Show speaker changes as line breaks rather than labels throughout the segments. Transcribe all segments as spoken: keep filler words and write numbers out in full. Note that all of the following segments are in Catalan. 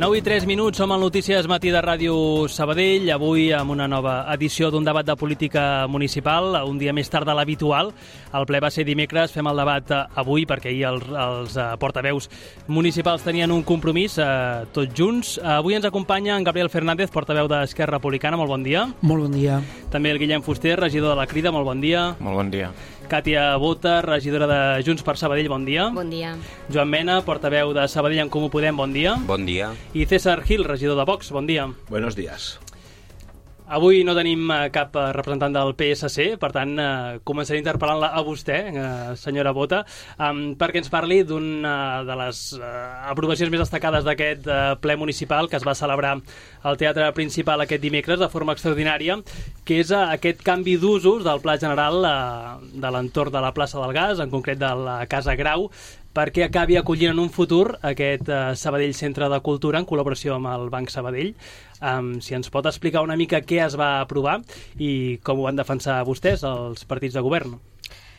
nou i tres minuts, som al Notícies Matí de Ràdio Sabadell, avui amb una nova edició d'un debat de política municipal, un dia més tard de l'habitual. El ple va ser dimecres, fem el debat avui perquè ahir els, els portaveus municipals tenien un compromís, eh, tots junts. Avui ens acompanya en Gabriel Fernández, portaveu d'Esquerra Republicana, molt bon dia.
Molt bon dia.
També el Guillem Fuster, regidor de la Crida, molt bon dia.
Molt bon dia.
Càtia Bota, regidora de Junts per Sabadell, bon dia.
Bon dia.
Joan Mena, portaveu de Sabadell en Comú Podem, bon dia.
Bon dia.
I César Gil, regidor de Vox, bon dia.
Buenos días.
Avui no tenim cap representant del P S C, per tant, eh, començaré interpel·lant-la a vostè, eh, senyora Bota, eh, perquè ens parli d'una de les eh, aprovacions més destacades d'aquest eh, ple municipal que es va celebrar al Teatre Principal aquest dimecres de forma extraordinària, que és eh, aquest canvi d'usos del Pla General eh, de l'entorn de la plaça del Gas, en concret de la Casa Grau, perquè acabi acollint en un futur aquest eh, Sabadell Centre de Cultura en col·laboració amb el Banc Sabadell. Um, si ens pot explicar una mica què es va aprovar i com ho van defensar vostès, els partits de govern.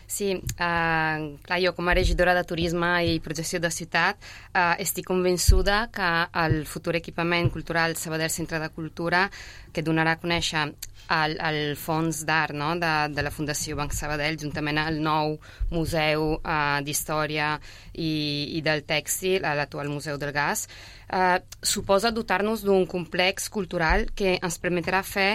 Sí, uh, clar, jo com a regidora de Turisme i Projecció de Ciutat uh, estic convençuda que el futur equipament cultural Sabadell Centre de Cultura, que donarà a conèixer el, el fons d'art, no?, de, de la Fundació Banc Sabadell, juntament al nou Museu uh, d'Història i, i del Tèxtil, a l'actual Museu del Gas, uh, suposa dotar-nos d'un complex cultural que ens permetrà fer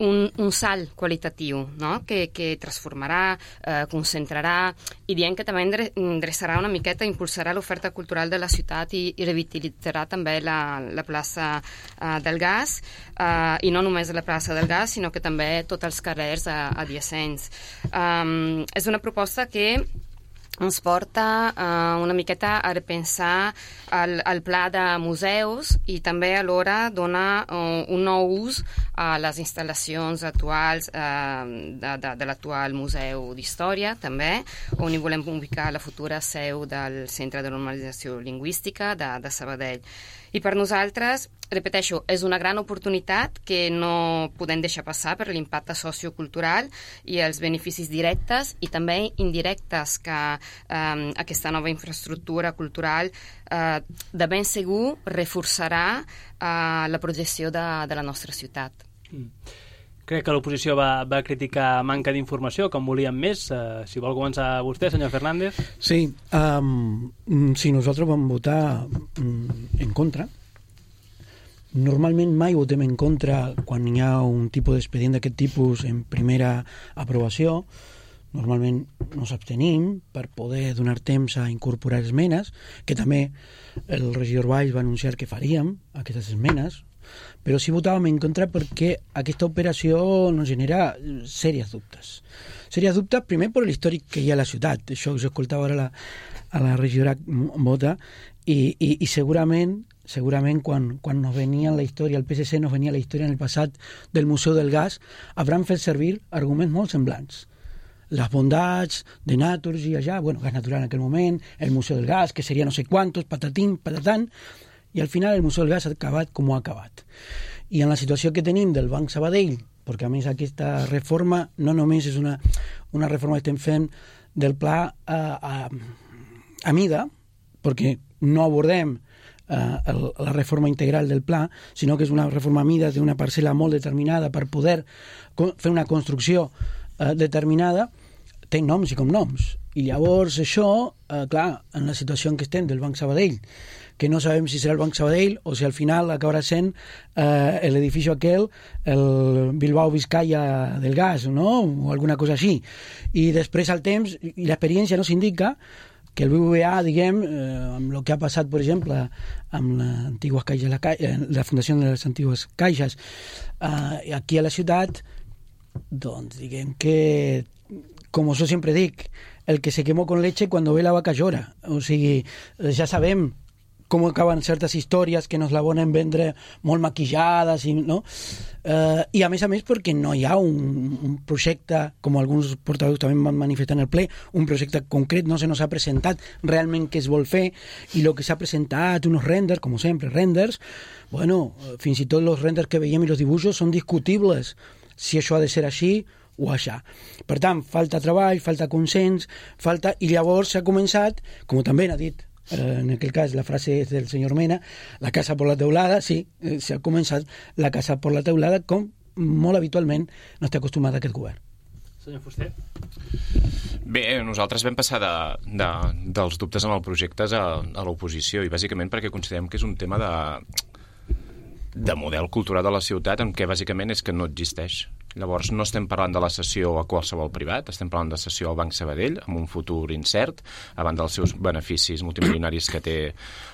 Un, un salt qualitatiu, no?, que, que transformarà, eh, concentrarà i diem que també endreçarà una miqueta, impulsarà l'oferta cultural de la ciutat i, i revitalitzarà també la, la plaça eh, del Gas, eh, i no només la plaça del Gas, sinó que també tots els carrers eh, adiacents. Um, és una proposta que ens porta uh, una miqueta a repensar el, el pla de museus i també alhora dona uh, un nou ús a les instal·lacions actuals uh, de, de, de l'actual Museu d'Història, també, on hi volem ubicar la futura seu del Centre de Normalització Lingüística de, de Sabadell. I per nosaltres, repeteixo, és una gran oportunitat que no podem deixar passar per l'impacte sociocultural i els beneficis directes i també indirectes que eh, aquesta nova infraestructura cultural eh, de ben segur reforçarà eh, la projecció de, de la nostra ciutat.
Mm. Crec que l'oposició va, va criticar manca d'informació, com volíem més. Uh, si vol començar vostè, senyor Fernández.
Sí, um, si nosaltres vam votar um, en contra. Normalment mai votem en contra quan hi ha un tipus d'expedient d'aquest tipus en primera aprovació. Normalment nos abstenim per poder donar temps a incorporar esmenes, que també el regidor Valls va anunciar que faríem aquestes esmenes, però sí votàvem en contra perquè aquesta operació nos genera sèries dubtes. Sèries dubtes, primer, per l'històric que hi ha a la ciutat. Això que s'escoltava ara la, a la regidora Bota, i, i, i segurament, segurament quan, quan nos venia la història, el P S C nos venia la història en el passat del Museu del Gas, hauran fet servir arguments molt semblants. Les bondats de Naturgy allà, bueno, gas natural en aquell moment, el Museu del Gas, que seria no sé quantos, patatín, patatán, i al final el Museu del Gas ha acabat com ha acabat. I en la situació que tenim del Banc Sabadell, perquè a més aquesta reforma no només és una, una reforma que estem fent del pla a, a, a mida, perquè no abordem uh, el, la reforma integral del pla, sinó que és una reforma a mida d'una parcel·la molt determinada per poder fer una construcció uh, determinada, té noms i cognoms. I llavors això, uh, clar, en la situació en què estem del Banc Sabadell, que no sabem si serà el Banc Sabadell o si al final acabarà sent eh, l'edifici aquel, el Bilbao Vizcaya del gas, no?, o alguna cosa així. I després al temps, i l'experiència nos indica que el B B V A, diguem, eh, amb el que ha passat, per exemple, amb l'antigua Caixa, la, la Fundació de les Antigues Caixes, eh, aquí a la ciutat, doncs diguem que, com jo sempre dic, el que se quemó con leche cuando ve la vaca llora. O sigui, ja sabem com acaben certes històries que nos la volen vendre molt maquillades, i, no? Eh, i a més a més perquè no hi ha un, un projecte, com alguns portaveus també van manifestar en el ple, un projecte concret, no se nos ha presentat realment què es vol fer, i el que s'ha presentat, uns renders, com sempre, renders, bueno, fins i tot els renders que veiem i els dibuixos són discutibles, si això ha de ser així o això. Per tant, falta treball, falta consens, falta... i llavors s'ha començat, com també ha dit en aquel cas la frase és del senyor Mena, la casa por la teulada, sí, s'ha començat la casa por la teulada, com molt habitualment no està acostumat aquest govern.
Senyor Fuster.
Bé, nosaltres vam passar de, de, dels dubtes en el projecte a, a l'oposició, i bàsicament perquè considerem que és un tema de, de model cultural de la ciutat, en què bàsicament és que no existeix. Llavors no estem parlant de la cessió a qualsevol privat, estem parlant de cessió al Banc Sabadell, amb un futur incert, abans dels seus beneficis multimilionaris que té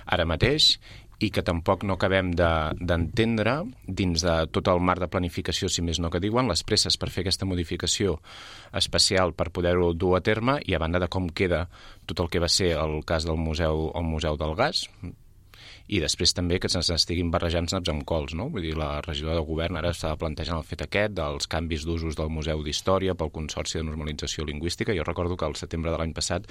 ara mateix, i que tampoc no acabem d'entendre, de, dins de tot el marc de planificació, si més no que diuen, les presses per fer aquesta modificació especial per poder-ho dur a terme, i a banda de com queda tot el que va ser el cas del museu, el Museu del Gas, i després també que se'ns estiguin barrejant naps amb cols, no? Vull dir, la regidora del govern ara està plantejant el fet aquest dels canvis d'usos del Museu d'Història pel Consorci de Normalització Lingüística. Jo recordo que al setembre de l'any passat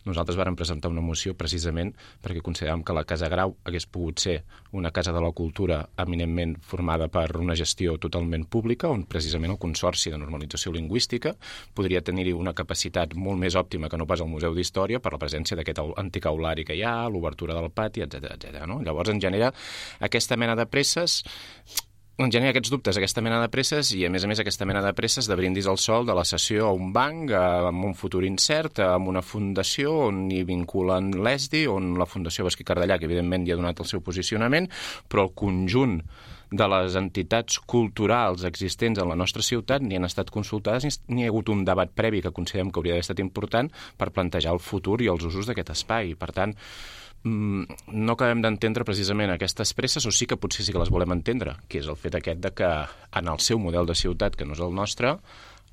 nosaltres vàrem presentar una moció precisament perquè consideràvem que la Casa Grau hagués pogut ser una casa de la cultura eminentment formada per una gestió totalment pública, on precisament el Consorci de Normalització Lingüística podria tenir-hi una capacitat molt més òptima que no pas el Museu d'Història per la presència d'aquest antic aulari que hi ha, l'obertura del pati, etcètera, etcètera, no? Llavors en genera aquesta mena de presses, en genera aquests dubtes, aquesta mena de presses, i a més a més aquesta mena de presses de brindis al sol de la cessió a un banc, amb un futur incert, amb una fundació on hi vinculen l'E S D I, on la Fundació Basquí Cardellà, que evidentment hi ha donat el seu posicionament, però el conjunt de les entitats culturals existents en la nostra ciutat ni han estat consultades ni hi ha hagut un debat previ que considerem que hauria d'haver estat important per plantejar el futur i els usos d'aquest espai. Per tant, no acabem d'entendre precisament aquestes presses, o sí que potser sí que les volem entendre, que és el fet aquest de que en el seu model de ciutat, que no és el nostre,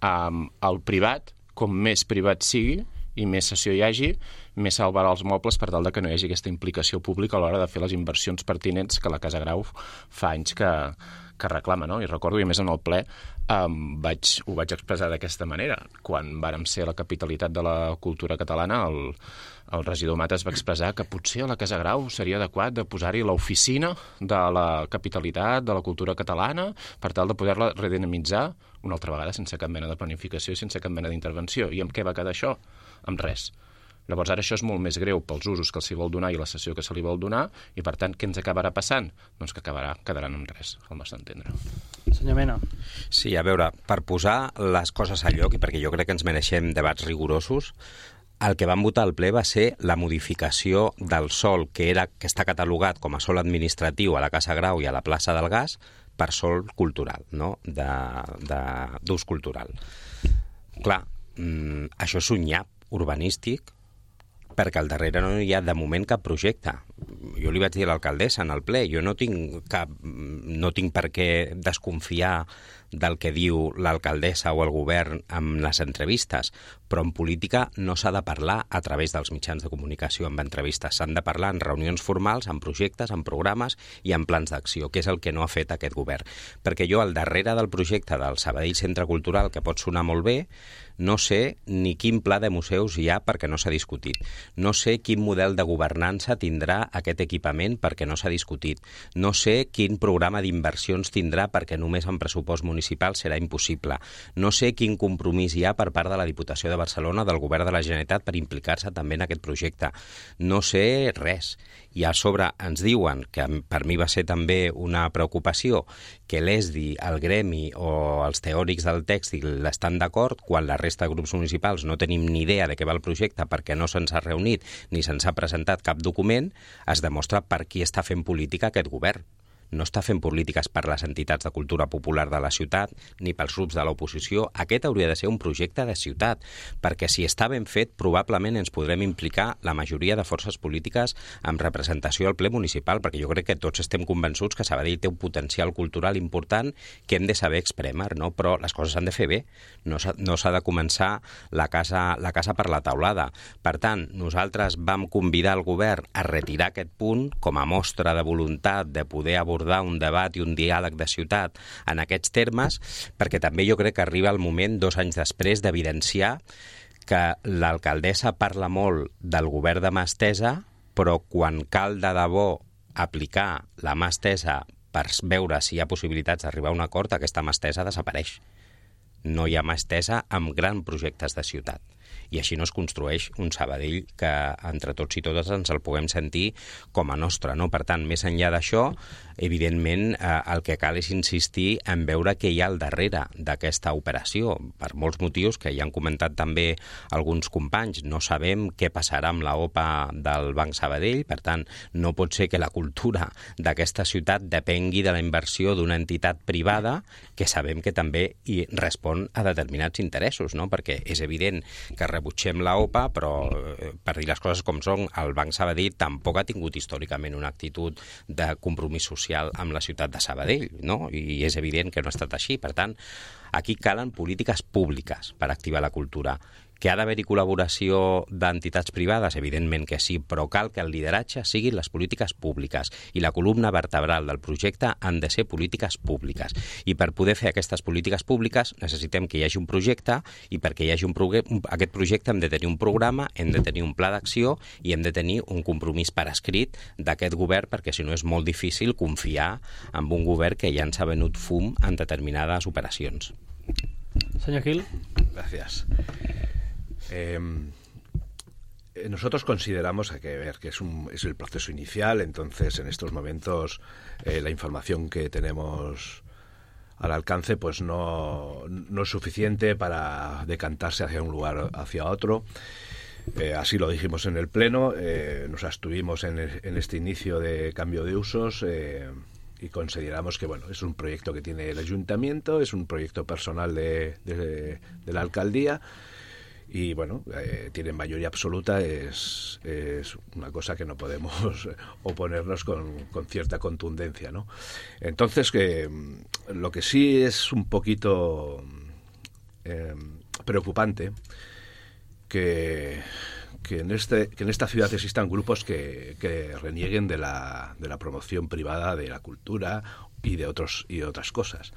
el privat, com més privat sigui i més cessió hi hagi, més salvarà els mobles per tal de que no hi hagi aquesta implicació pública a l'hora de fer les inversions pertinents que la Casa Grau fa anys que, que reclama, no? I recordo, i a més en el ple um, vaig, ho vaig expressar d'aquesta manera. Quan vàrem ser la capitalitat de la cultura catalana, el, el regidor Matas va expressar que potser a la Casa Grau seria adequat de posar-hi l'oficina de la capitalitat de la cultura catalana per tal de poder-la redinamitzar una altra vegada sense cap mena de planificació i sense cap mena d'intervenció. I amb què va quedar això? Amb res. Llavors ara això és molt més greu pels usos que s'hi vol donar i la cessió que se li vol donar, i per tant què ens acabarà passant? Doncs que acabarà, quedaran en res, al nostre entendre.
Senyor Mena.
Sí, a veure, per posar les coses a lloc, i perquè jo crec que ens mereixem debats rigorosos, el que van votar al ple va ser la modificació del sòl que, era, que està catalogat com a sòl administratiu a la Casa Grau i a la plaça del Gas per sòl cultural, no? d'ús cultural. Clar, mmm, això és un nyap urbanístic perquè al darrere no hi ha de moment cap projecte. Jo li vaig dir a l'alcaldessa en el ple, jo no tinc cap, no tinc per què desconfiar del que diu l'alcaldessa o el govern amb les entrevistes, però en política no s'ha de parlar a través dels mitjans de comunicació amb entrevistes, s'han de parlar en reunions formals, en projectes, en programes i en plans d'acció, que és el que no ha fet aquest govern. Perquè jo al darrere del projecte del Sabadell Centre Cultural, que pot sonar molt bé, no sé ni quin pla de museus hi ha perquè no s'ha discutit. No sé quin model de governança tindrà aquest equipament perquè no s'ha discutit. No sé quin programa d'inversions tindrà perquè només en pressupost municipal serà impossible. No sé quin compromís hi ha per part de la Diputació de Barcelona, del Govern de la Generalitat, per implicar-se també en aquest projecte. No sé res. I a sobre ens diuen, que per mi va ser també una preocupació, que l'E S D I, el gremi o els teòrics del tèxtil estan d'acord quan la resta de grups municipals no tenim ni idea de què va el projecte perquè no se'ns ha reunit ni se'ns ha presentat cap document, es demostra per qui està fent política aquest govern. No està fent polítiques per les entitats de cultura popular de la ciutat ni pels grups de l'oposició. Aquest hauria de ser un projecte de ciutat, perquè si està ben fet, probablement ens podrem implicar la majoria de forces polítiques amb representació al ple municipal, perquè jo crec que tots estem convençuts que Sabadell té un potencial cultural important que hem de saber exprémer, no? Però les coses s'han de fer bé. No s'ha, no s'ha de començar la casa, la casa per la taulada. Per tant, nosaltres vam convidar el govern a retirar aquest punt com a mostra de voluntat de poder abordar un debat i un diàleg de ciutat en aquests termes, perquè també jo crec que arriba el moment, dos anys després, d'evidenciar que l'alcaldessa parla molt del govern de mà estesa, però quan cal de debò aplicar la mà estesa per veure si hi ha possibilitats d'arribar a un acord, aquesta mà estesa desapareix. No hi ha mà estesa amb grans projectes de ciutat. i així no es construeix un Sabadell que entre tots i totes ens el puguem sentir com a nostre, no? Per tant, més enllà d'això, evidentment, eh, el que cal és insistir en veure què hi ha al darrere d'aquesta operació, per molts motius que ja han comentat també alguns companys. No sabem què passarà amb la O P A del Banc Sabadell, per tant, no pot ser que la cultura d'aquesta ciutat depengui de la inversió d'una entitat privada que sabem que també hi respon a determinats interessos, no? Perquè és evident que rebutgem la O P A, però, eh, per dir les coses com són, el Banc Sabadell tampoc ha tingut històricament una actitud de compromís social amb la ciutat de Sabadell, no? I és evident que no ha estat així. Per tant, aquí calen polítiques públiques per activar la cultura. Que ha d'haver-hi col·laboració d'entitats privades? Evidentment que sí, però cal que el lideratge siguin les polítiques públiques i la columna vertebral del projecte han de ser polítiques públiques. I per poder fer aquestes polítiques públiques necessitem que hi hagi un projecte i perquè hi hagi un proge- aquest projecte hem de tenir un programa, hem de tenir un pla d'acció i hem de tenir un compromís per escrit d'aquest govern, perquè si no és molt difícil confiar en un govern que ja ens ha venut fum en determinades operacions.
Senyor Gil.
Gracias. Eh, nosotros consideramos, hay que ver que es, un, es el proceso inicial, entonces en estos momentos eh, la información que tenemos al alcance pues no, no es suficiente para decantarse hacia un lugar hacia otro. Eh, así lo dijimos en el Pleno, eh, nos abstuvimos en, en este inicio de cambio de usos eh, y consideramos que bueno, es un proyecto que tiene el Ayuntamiento, es un proyecto personal de, de, de la Alcaldía. Y bueno, eh, tienen mayoría absoluta, es, es una cosa que no podemos oponernos con, con cierta contundencia, ¿no? Entonces, que lo que sí es un poquito eh, preocupante, que, que, en este, que en esta ciudad existan grupos que, que renieguen de la, de la promoción privada de la cultura y de otros y de otras cosas.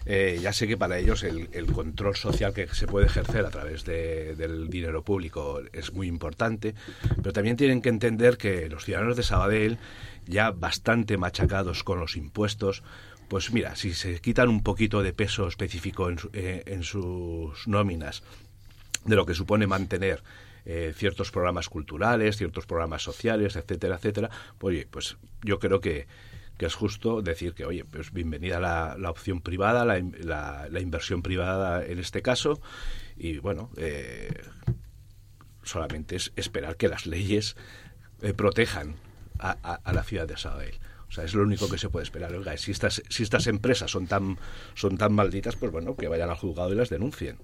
Eh, ya sé que para ellos el, el control social que se puede ejercer a través de, del dinero público es muy importante, pero también tienen que entender que los ciudadanos de Sabadell, ya bastante machacados con los impuestos, pues mira, si se quitan un poquito de peso específico en, su, eh, en sus nóminas de lo que supone mantener eh, ciertos programas culturales, ciertos programas sociales, etcétera, etcétera, pues, oye, pues yo creo que que es justo decir que, oye, pues bienvenida la, la opción privada, la, la, la inversión privada en este caso, y bueno, eh, solamente es esperar que las leyes eh, protejan a, a, a la ciudad de Sabadell. O sea, es lo único que se puede esperar. Oiga, si estas, si estas empresas son tan, son tan malditas, pues bueno, que vayan al juzgado y las denuncien.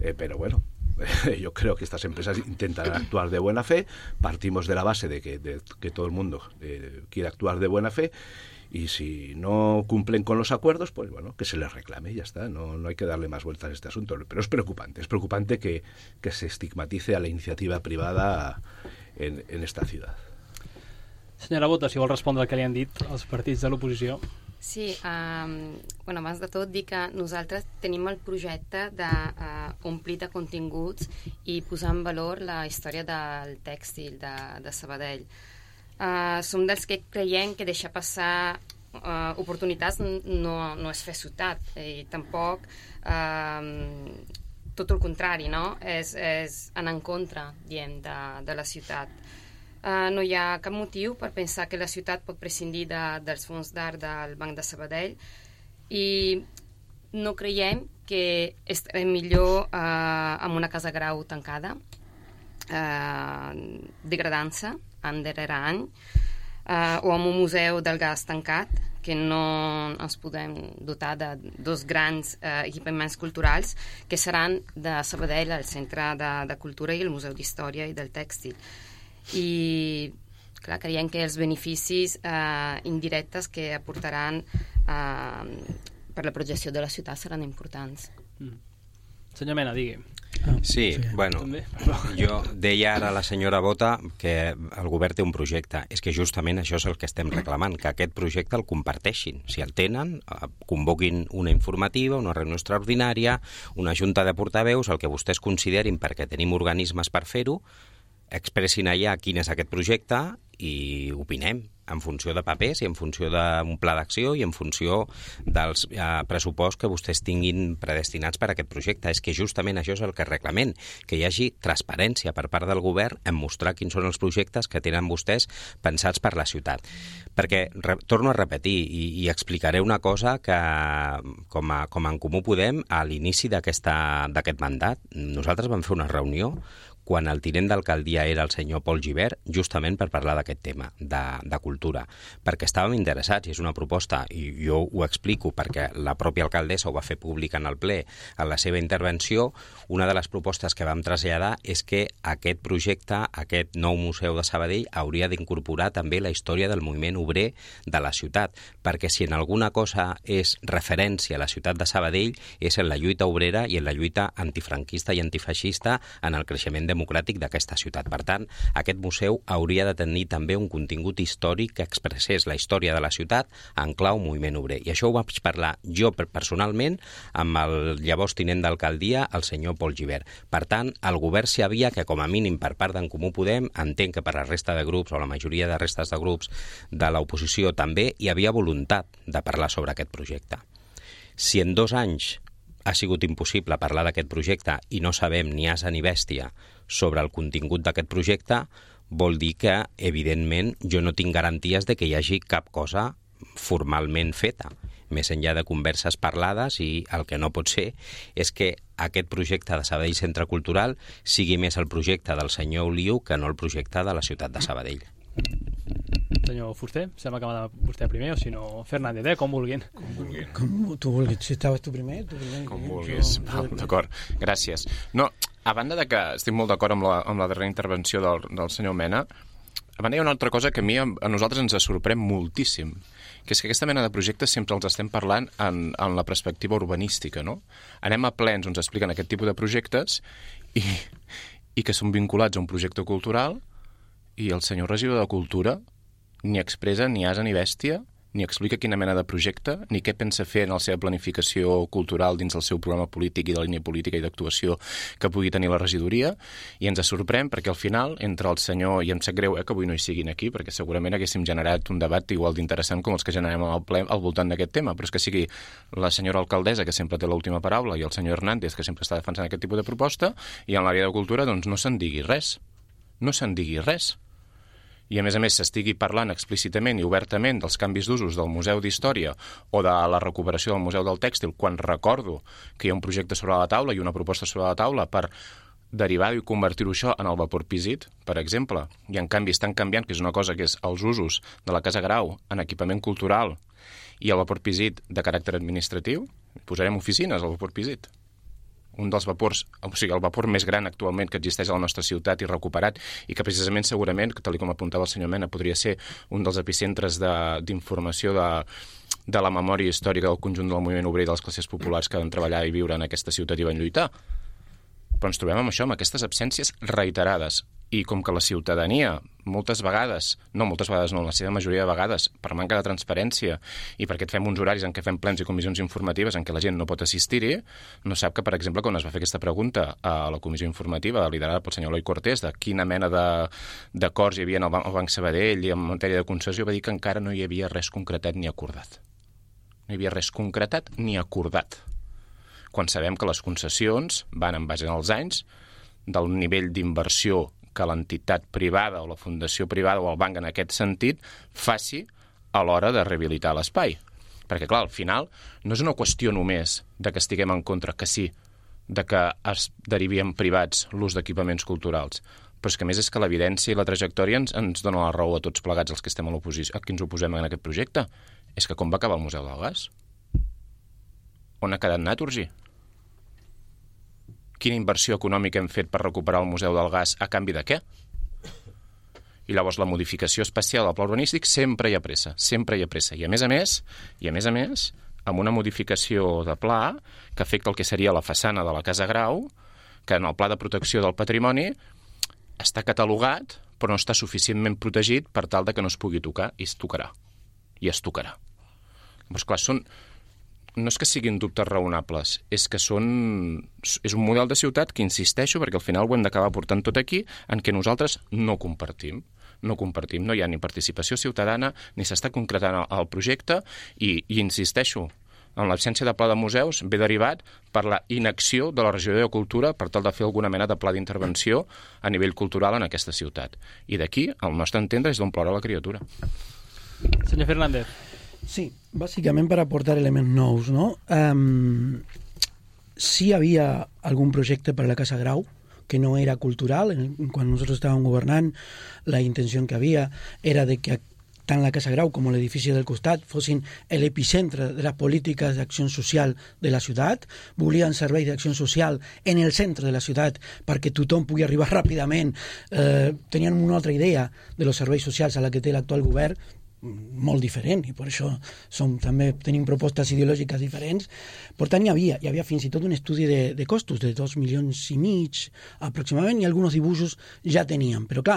Eh, pero bueno, yo creo que estas empresas intentan actuar de buena fe, partimos de la base de que, de, que todo el mundo eh, quiere actuar de buena fe, y si no cumplen con los acuerdos, pues bueno, que se les reclame y ya está, no, no hay que darle más vueltas a este asunto, pero es preocupante, es preocupante que, que se estigmatice a la iniciativa privada en, en esta ciudad.
Senyora Bota, si vol respondre al que li han dit els partits de l'oposició.
Sí, um, bueno, abans de tot dir que nosaltres tenim el projecte d'omplir uh, de continguts i posar en valor la història del tèxtil de, de Sabadell. Uh, som dels que creiem que deixar passar uh, oportunitats no, no és fer ciutat, i tampoc uh, tot el contrari, no? És, és anar en contra, diem, de, de la ciutat. Uh, no hi ha cap motiu per pensar que la ciutat pot prescindir de, dels fons d'art del Banc de Sabadell, i no creiem que estarem millor uh, amb una casa grau tancada, uh, degradant-se any darrere any, uh, o amb un museu del gas tancat, que no ens podem dotar de dos grans uh, equipaments culturals que seran de Sabadell, el Centre de, de Cultura i el Museu d'Història i del Tèxtil. I clar, creiem que els beneficis eh, indirectes que aportaran eh, per la projecció de la ciutat seran importants.
Mm. Senyor Mena, digui.
Ah, sí, sí, bueno, també. Jo deia ara a la senyora Bota que el govern té un projecte. És que justament això és el que estem reclamant, que aquest projecte el comparteixin. Si el tenen, convoquin una informativa, una reunió extraordinària, una junta de portaveus, el que vostès considerin, perquè tenim organismes per fer-ho, expressin allà quin és aquest projecte i opinem. en funció de papers i en funció d'un pla d'acció i en funció dels eh, pressuposts que vostès tinguin predestinats per a aquest projecte. És que justament això és el que reclamem, que hi hagi transparència per part del govern en mostrar quins són els projectes que tenen vostès pensats per la ciutat. Perquè, re, torno a repetir, i, i explicaré una cosa que, com a, com a En Comú Podem, a l'inici d'aquest mandat, nosaltres vam fer una reunió quan el tinent d'alcaldia era el senyor Pol Gibert, justament per parlar d'aquest tema, de, de cultura, perquè estàvem interessats, i és una proposta, i jo ho explico perquè la pròpia alcaldessa ho va fer públic en el ple, en la seva intervenció. Una de les propostes que vam traslladar és que aquest projecte, aquest nou museu de Sabadell, hauria d'incorporar també la història del moviment obrer de la ciutat, perquè si en alguna cosa és referència a la ciutat de Sabadell és en la lluita obrera i en la lluita antifranquista i antifeixista en el creixement democràtic d'aquesta ciutat. Per tant, aquest museu hauria de tenir també un contingut històric que expressés la història de la ciutat en clau moviment obrer. I això ho vaig parlar jo personalment amb el llavors tinent d'alcaldia, el senyor Pol Gibert. Per tant, el govern s'hi havia que, com a mínim per part d'en Comú Podem, entenc que per la resta de grups o la majoria de restes de grups de l'oposició també, hi havia voluntat de parlar sobre aquest projecte. Si en dos anys ha sigut impossible parlar d'aquest projecte i no sabem ni asa ni bèstia sobre el contingut d'aquest projecte, vol dir que, evidentment, jo no tinc garanties de que hi hagi cap cosa formalment feta, més enllà de converses parlades, i el que no pot ser és que aquest projecte de Sabadell Centre Cultural sigui més el projecte del senyor Oliu que no el projecte de la ciutat de Sabadell.
Senyor Fuster, sembla que va vostè primer, o si no, Fernández, eh? Com vulguin.
Com vulguin.
Com tu vulguis. Si estaves tu primer, tu primer.
Com vulguis. Val, d'acord, gràcies. No, a banda de que estic molt d'acord amb, la, amb la darrera intervenció del, del senyor Mena, a banda hi ha una altra cosa que a mi, a nosaltres ens sorprèn moltíssim, que és que aquesta mena de projectes sempre els estem parlant en, en la perspectiva urbanística, no? Anem a plens on ens expliquen aquest tipus de projectes i, i que són vinculats a un projecte cultural, i el senyor regidor de Cultura ni expressa ni asa ni bèstia, ni explica quina mena de projecte, ni què pensa fer en la seva planificació cultural dins del seu programa polític i de línia política i d'actuació que pugui tenir la regidoria, i ens sorprèn perquè al final, entre el senyor, i em sap greu eh, que avui no hi siguin aquí, perquè segurament haguéssim generat un debat igual d'interessant com els que generem al ple al voltant d'aquest tema, però és que sigui la senyora alcaldessa, que sempre té l'última paraula, i el senyor Hernández, que sempre està defensant aquest tipus de proposta, i en l'àrea de cultura doncs no se'n digui res. No se'n digui res. I a més a més s'estigui parlant explícitament i obertament dels canvis d'usos del Museu d'Història o de la recuperació del Museu del Tèxtil, quan recordo que hi ha un projecte sobre la taula i una proposta sobre la taula per derivar-ho i convertir-ho això en el vapor Pisit, per exemple, i en canvi estan canviant, que és una cosa que és els usos de la Casa Grau en equipament cultural i el vapor Pisit de caràcter administratiu, posarem oficines al vapor Pisit. Un dels vapors, o sigui, el vapor més gran actualment que existeix a la nostra ciutat i recuperat, i que precisament segurament, tal com apuntava el senyor Mena, podria ser un dels epicentres d'informació de, de, de la memòria històrica del conjunt del moviment obrer i de les classes populars que van treballar i viure en aquesta ciutat i van lluitar. Però ens trobem amb això, amb aquestes absències reiterades. I com que la ciutadania, moltes vegades, no moltes vegades, no, la seva majoria de vegades, per manca de transparència i perquè fem uns horaris en què fem plens i comissions informatives en què la gent no pot assistir-hi, no sap que, per exemple, quan es va fer aquesta pregunta a la comissió informativa liderada pel senyor Eloi Cortés de quina mena d'acords hi havia al Banc Sabadell i en matèria de concessió, va dir que encara no hi havia res concretat ni acordat. No hi havia res concretat ni acordat. Quan sabem que les concessions van en base als anys del nivell d'inversió que l'entitat privada o la fundació privada o el banc en aquest sentit faci a l'hora de rehabilitar l'espai. Perquè, clar, al final no és una qüestió només de que estiguem en contra, que sí, de que es derivi en privats l'ús d'equipaments culturals, però és que a més és que l'evidència i la trajectòria ens, ens dona la raó a tots plegats els que estem a l'oposició, a qui ens oposem en aquest projecte. És que com va acabar el Museu del Gas? On ha quedat Naturgy? Quina inversió econòmica hem fet per recuperar el Museu del Gas a canvi de què? I llavors la modificació especial del pla urbanístic sempre hi ha pressa, sempre hi ha pressa. I a més a més, i a més a més, amb una modificació de pla que afecta el que seria la façana de la Casa Grau, que en el pla de protecció del patrimoni està catalogat però no està suficientment protegit per tal de que no es pugui tocar, i es tocarà. I es tocarà. Llavors, clar, són... no és que siguin dubtes raonables, és que són... és un model de ciutat que insisteixo, perquè al final ho hem d'acabar portant tot aquí, en què nosaltres no compartim. no compartim. No hi ha ni participació ciutadana, ni s'està concretant el, el projecte, i, i insisteixo, en l'absència de pla de museus ve derivat per la inacció de la regió de cultura per tal de fer alguna mena de pla d'intervenció a nivell cultural en aquesta ciutat. I d'aquí, al nostre entendre, és d'on plora la criatura.
Senyor Fernández.
Sí, bàsicament per aportar elements nous, no? Um, sí havia algun projecte per a la Casa Grau que no era cultural. Quan nosaltres estàvem governant, la intenció que havia era de que tant la Casa Grau com l'edifici del costat fossin l'epicentre de les polítiques d'acció social de la ciutat. Volien serveis d'acció social en el centre de la ciutat perquè tothom pugui arribar ràpidament. Eh, tenien una altra idea de los serveis socials a la que té l'actual govern, molt diferent, i per això som, també tenim propostes ideològiques diferents. Per tant, hi havia, hi havia fins i tot un estudi de, de costos de dos milions i mig aproximadament, i alguns dibuixos ja teníem. Però clar,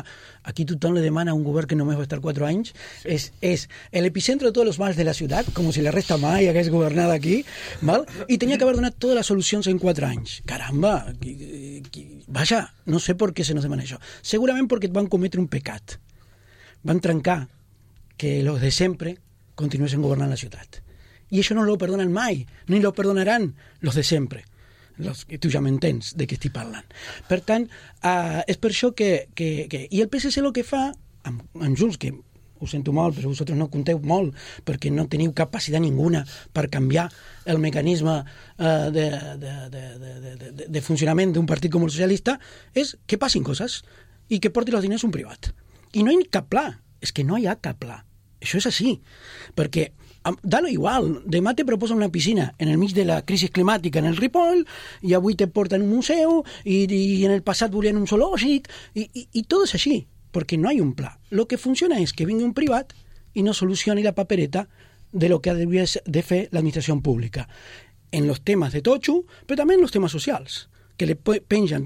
aquí tothom le demana a un govern que només va estar quatre anys, sí. és, és l'epicentre de tots els mals de la ciutat, com si la resta mai hagués governat aquí, val? I tenia que haver donat totes les solucions en quatre anys. Caramba, qui, qui, vaja, no sé per què se nos demana això. Segurament perquè van cometre un pecat. Van trencar que los de sempre continuesen governant la ciutat. I això no lo perdonen mai, ni lo perdonaran los de sempre. Los, tu ja m'entens de què estic parlant. Per tant, uh, és per això que, que, que... I el P S C el que fa, amb, amb Junts, que ho sento molt, però vosaltres no compteu molt, perquè no teniu capacitat ninguna per canviar el mecanisme uh, de, de, de, de, de, de funcionament d'un partit com el socialista, és que passin coses i que porti els diners un privat. I no hi ha cap pla, és que no hi ha cap pla. Això és així, perquè da-lo igual, demà te proposen una piscina en el mig de la crisi climàtica en el Ripoll, i avui te porten un museu, i, i en el passat volien un zoològic, i, i, i tot és així, perquè no hi ha un pla. Lo que funciona és que vingui un privat i no solucioni la papereta de lo que hauria de fer l'administració pública, en los temes de totxo, però també en los temes socials, que le pengen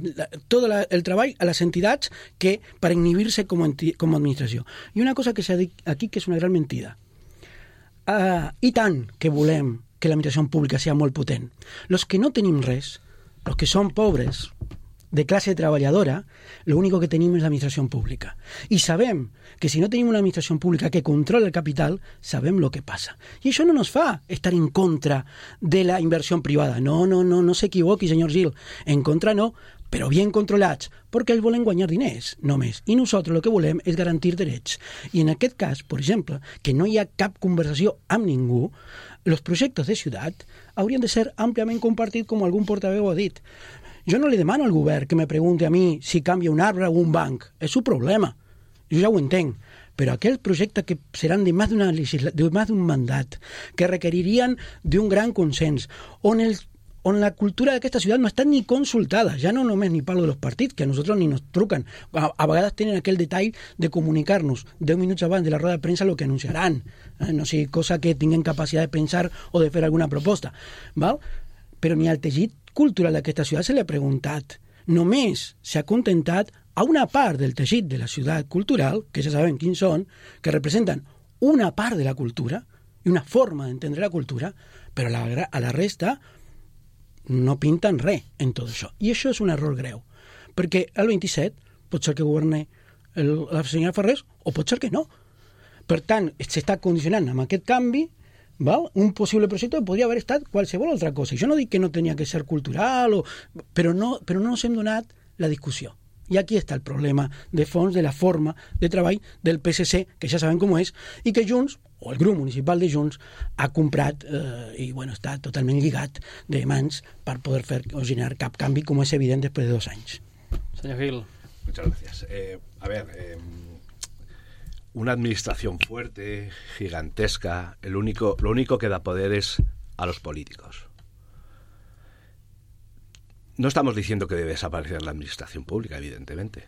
tot la, el treball a les entitats que per inhibir-se com, com a administració. I una cosa que s'ha dit aquí que és una gran mentida. Uh, I tant que volem que l'administració pública sigui molt potent. Los que no tenim res, los que som pobres, de classe treballadora, lo único que tenim és l'administració pública. I sabem que si no tenim una administració pública que controla el capital, sabem lo que passa. I això no nos fa estar en contra de la inversió privada. No, no, no, no s'equivoqui, senyor Gil. En contra no, però bien controlats, perquè ells volen guanyar diners, només. I nosaltres el que volem és garantir drets. I en aquest cas, per exemple, que no hi ha cap conversació amb ningú, els projectes de ciutat haurien de ser àmpliament compartits, com algun portaveu ha dit. Jo no li demano al govern que me pregunti a mi si canvia un arbre o un banc. És su problema. Jo ja ho entenc. Però aquells projectes que seran de més d'una legisla... de més d'un mandat, que requeririen d'un gran consens, on, el... on la cultura d'aquesta ciutat no està ni consultada, ja no només ni parlo dels partits, que a nosaltres ni nos truquen. A, a vegades tenen aquell detall de comunicar-nos deu minuts abans de la roda de premsa el que anunciaran. Eh? No sigui cosa que tinguin capacitat de pensar o de fer alguna proposta. Val? Però ni al teixit cultural d'aquesta ciutat se li ha preguntat. Només s'ha contentat a una part del teixit de la ciutat cultural, que ja sabem quins són, que representen una part de la cultura i una forma d'entendre la cultura, però a la, a la resta no pinten res en tot això. I això és un error greu, perquè el vint-i-set pot ser que governe el, la senyora Ferrés o pot ser que no. Per tant, s'està condicionant amb aquest canvi, val? Un possible projecte podria haver estat qualsevol altra cosa. I jo no dic que no tenia que ser cultural, o... però, no, però no ens hem donat la discussió. I aquí està el problema de fons de la forma de treball del P S C, que ja sabem com és, i que Junts, o el grup municipal de Junts, ha comprat eh, i bueno, està totalment lligat de mans per poder fer o generar cap canvi, com és evident després de dos anys.
Senyor Gil.
Muchas gracias. Eh, a ver... Eh... Una administración fuerte, gigantesca, el único, lo único que da poder es a los políticos. No estamos diciendo que debe desaparecer la administración pública, evidentemente.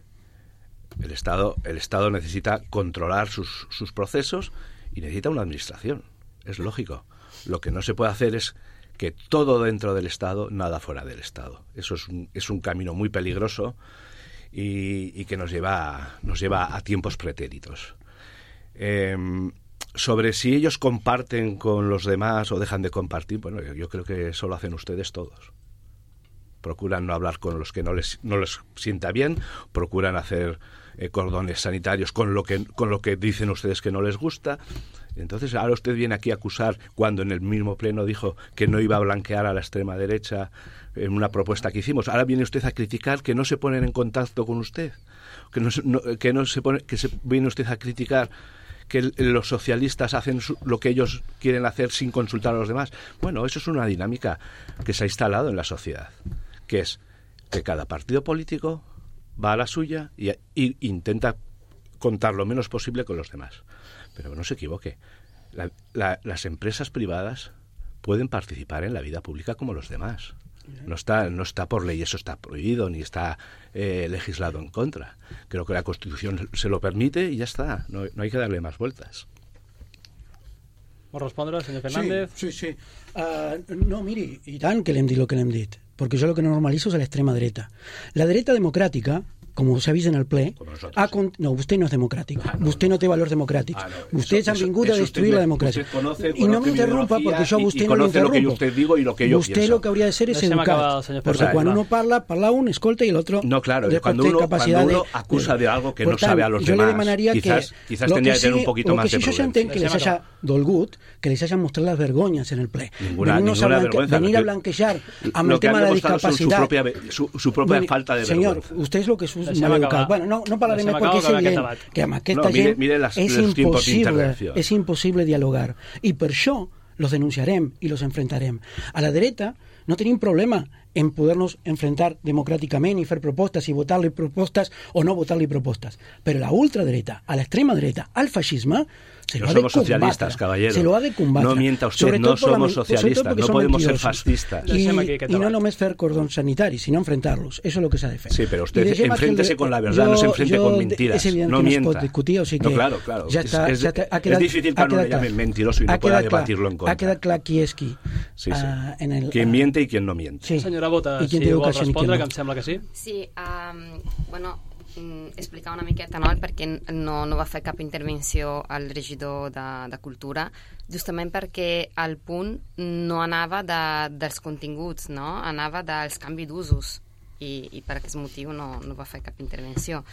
El Estado, el Estado necesita controlar sus, sus procesos y necesita una administración. Es lógico. Lo que no se puede hacer es que todo dentro del Estado, nada fuera del Estado. Eso es un, es un camino muy peligroso y, y que nos lleva, nos lleva a tiempos pretéritos. Eh, sobre si ellos comparten con los demás o dejan de compartir, bueno, yo, yo creo que eso lo hacen ustedes todos. Procuran no hablar con los que no les, no les sienta bien, procuran hacer eh, cordones sanitarios con lo que con lo que dicen ustedes que no les gusta. Entonces ahora usted viene aquí a acusar, cuando en el mismo pleno dijo que no iba a blanquear a la extrema derecha en una propuesta que hicimos. Ahora viene usted a criticar que no se ponen en contacto con usted, que no, no, que no se pone, que se viene usted a criticar que el, los socialistas hacen su, lo que ellos quieren hacer sin consultar a los demás. Bueno, eso es una dinámica que se ha instalado en la sociedad, que es que cada partido político va a la suya y, y intenta contar lo menos posible con los demás. Pero no se equivoque, la, la, las empresas privadas pueden participar en la vida pública como los demás. No está, no está por ley, eso está prohibido, ni está eh, legislado en contra. Creo que la Constitución se lo permite y ya está, no, no hay que darle más vueltas.
Vol respondre, senyor Fernández?
Sí, sí, sí. Uh, no, miri, i tant que l'hem dit el que l'hem dit, perquè jo el que normalitzo és l'extrema dreta. La dreta democràtica, como se ha visto en el ple, ha con... no, usted no es democrático, ah, no, usted no tiene valores democráticos. Ah, no, Ustedes eso, han vingut a destruir me, la democracia.
Conoce,
y no me interrumpa porque yo a usted
y, y
no lo interrumpo.
Lo que usted digo y lo que yo
usted
pienso.
Lo que habría de ser es educar. Porque o sea, cuando no. uno parla, parla un, escolta y el otro...
No, claro, cuando uno, cuando uno de, acusa de algo que no
tant,
sabe a los
yo
demás,
le demanaría
quizás,
que
quizás tendría que tener un poquito más de
prudencia. Lo que sí yo entenc que les haya dolgut, que les hayan mostrado las vergüenzas en el ple.
Ninguna, ninguna vergüenza.
Venir a blanquejar amb el tema de la discapacidad.
Su propia falta de vergüenza.
Señor, usted es lo que es un maleducat. Bueno, no, no parlaré més perquè és evident que amb aquesta
no, mire,
gent
mire les,
és,
les
impossible, és impossible dialogar. I per això los denunciarem i los enfrentarem. A la dreta no tenim problema en poder-nos enfrentar democràticament i fer propostes i votar-li propostes o no votar-li propostes. Però a la ultradreta, a l'extrema dreta, al feixisme, se lo
no
ha de
somos
combatre.
socialistas, caballero.
Se lo ha de combatre.
No mienta usted, no somos socialistas, no podemos ser fascistas.
Y, y no només fer cordons sanitaris, sino enfrentarlos. Eso es lo que se ha de fer.
Sí, pero usted enfréntese de, con la verdad, yo, no se enfrente con mentiras. No
que
mienta.
No es pot discutir, o sigui que
no, claro, claro.
Ja està,
es,
ja
es,
ha quedat,
es difícil que no le llamen mentiroso y no pueda debatirlo en contra.
Ha quedat clar qui és qui.
Sí, sí.
Uh, en el,
quien uh, miente y quien no miente.
Sí. Senyora Bota, si vol respondre, que em sembla que sí.
Sí, um, bueno, explicar una miqueta, no?, perquè no, no va fer cap intervenció al regidor de, de Cultura, justament perquè el punt no anava de, dels continguts, no? Anava dels canvis d'usos, i, i per aquest motiu no, no va fer cap intervenció.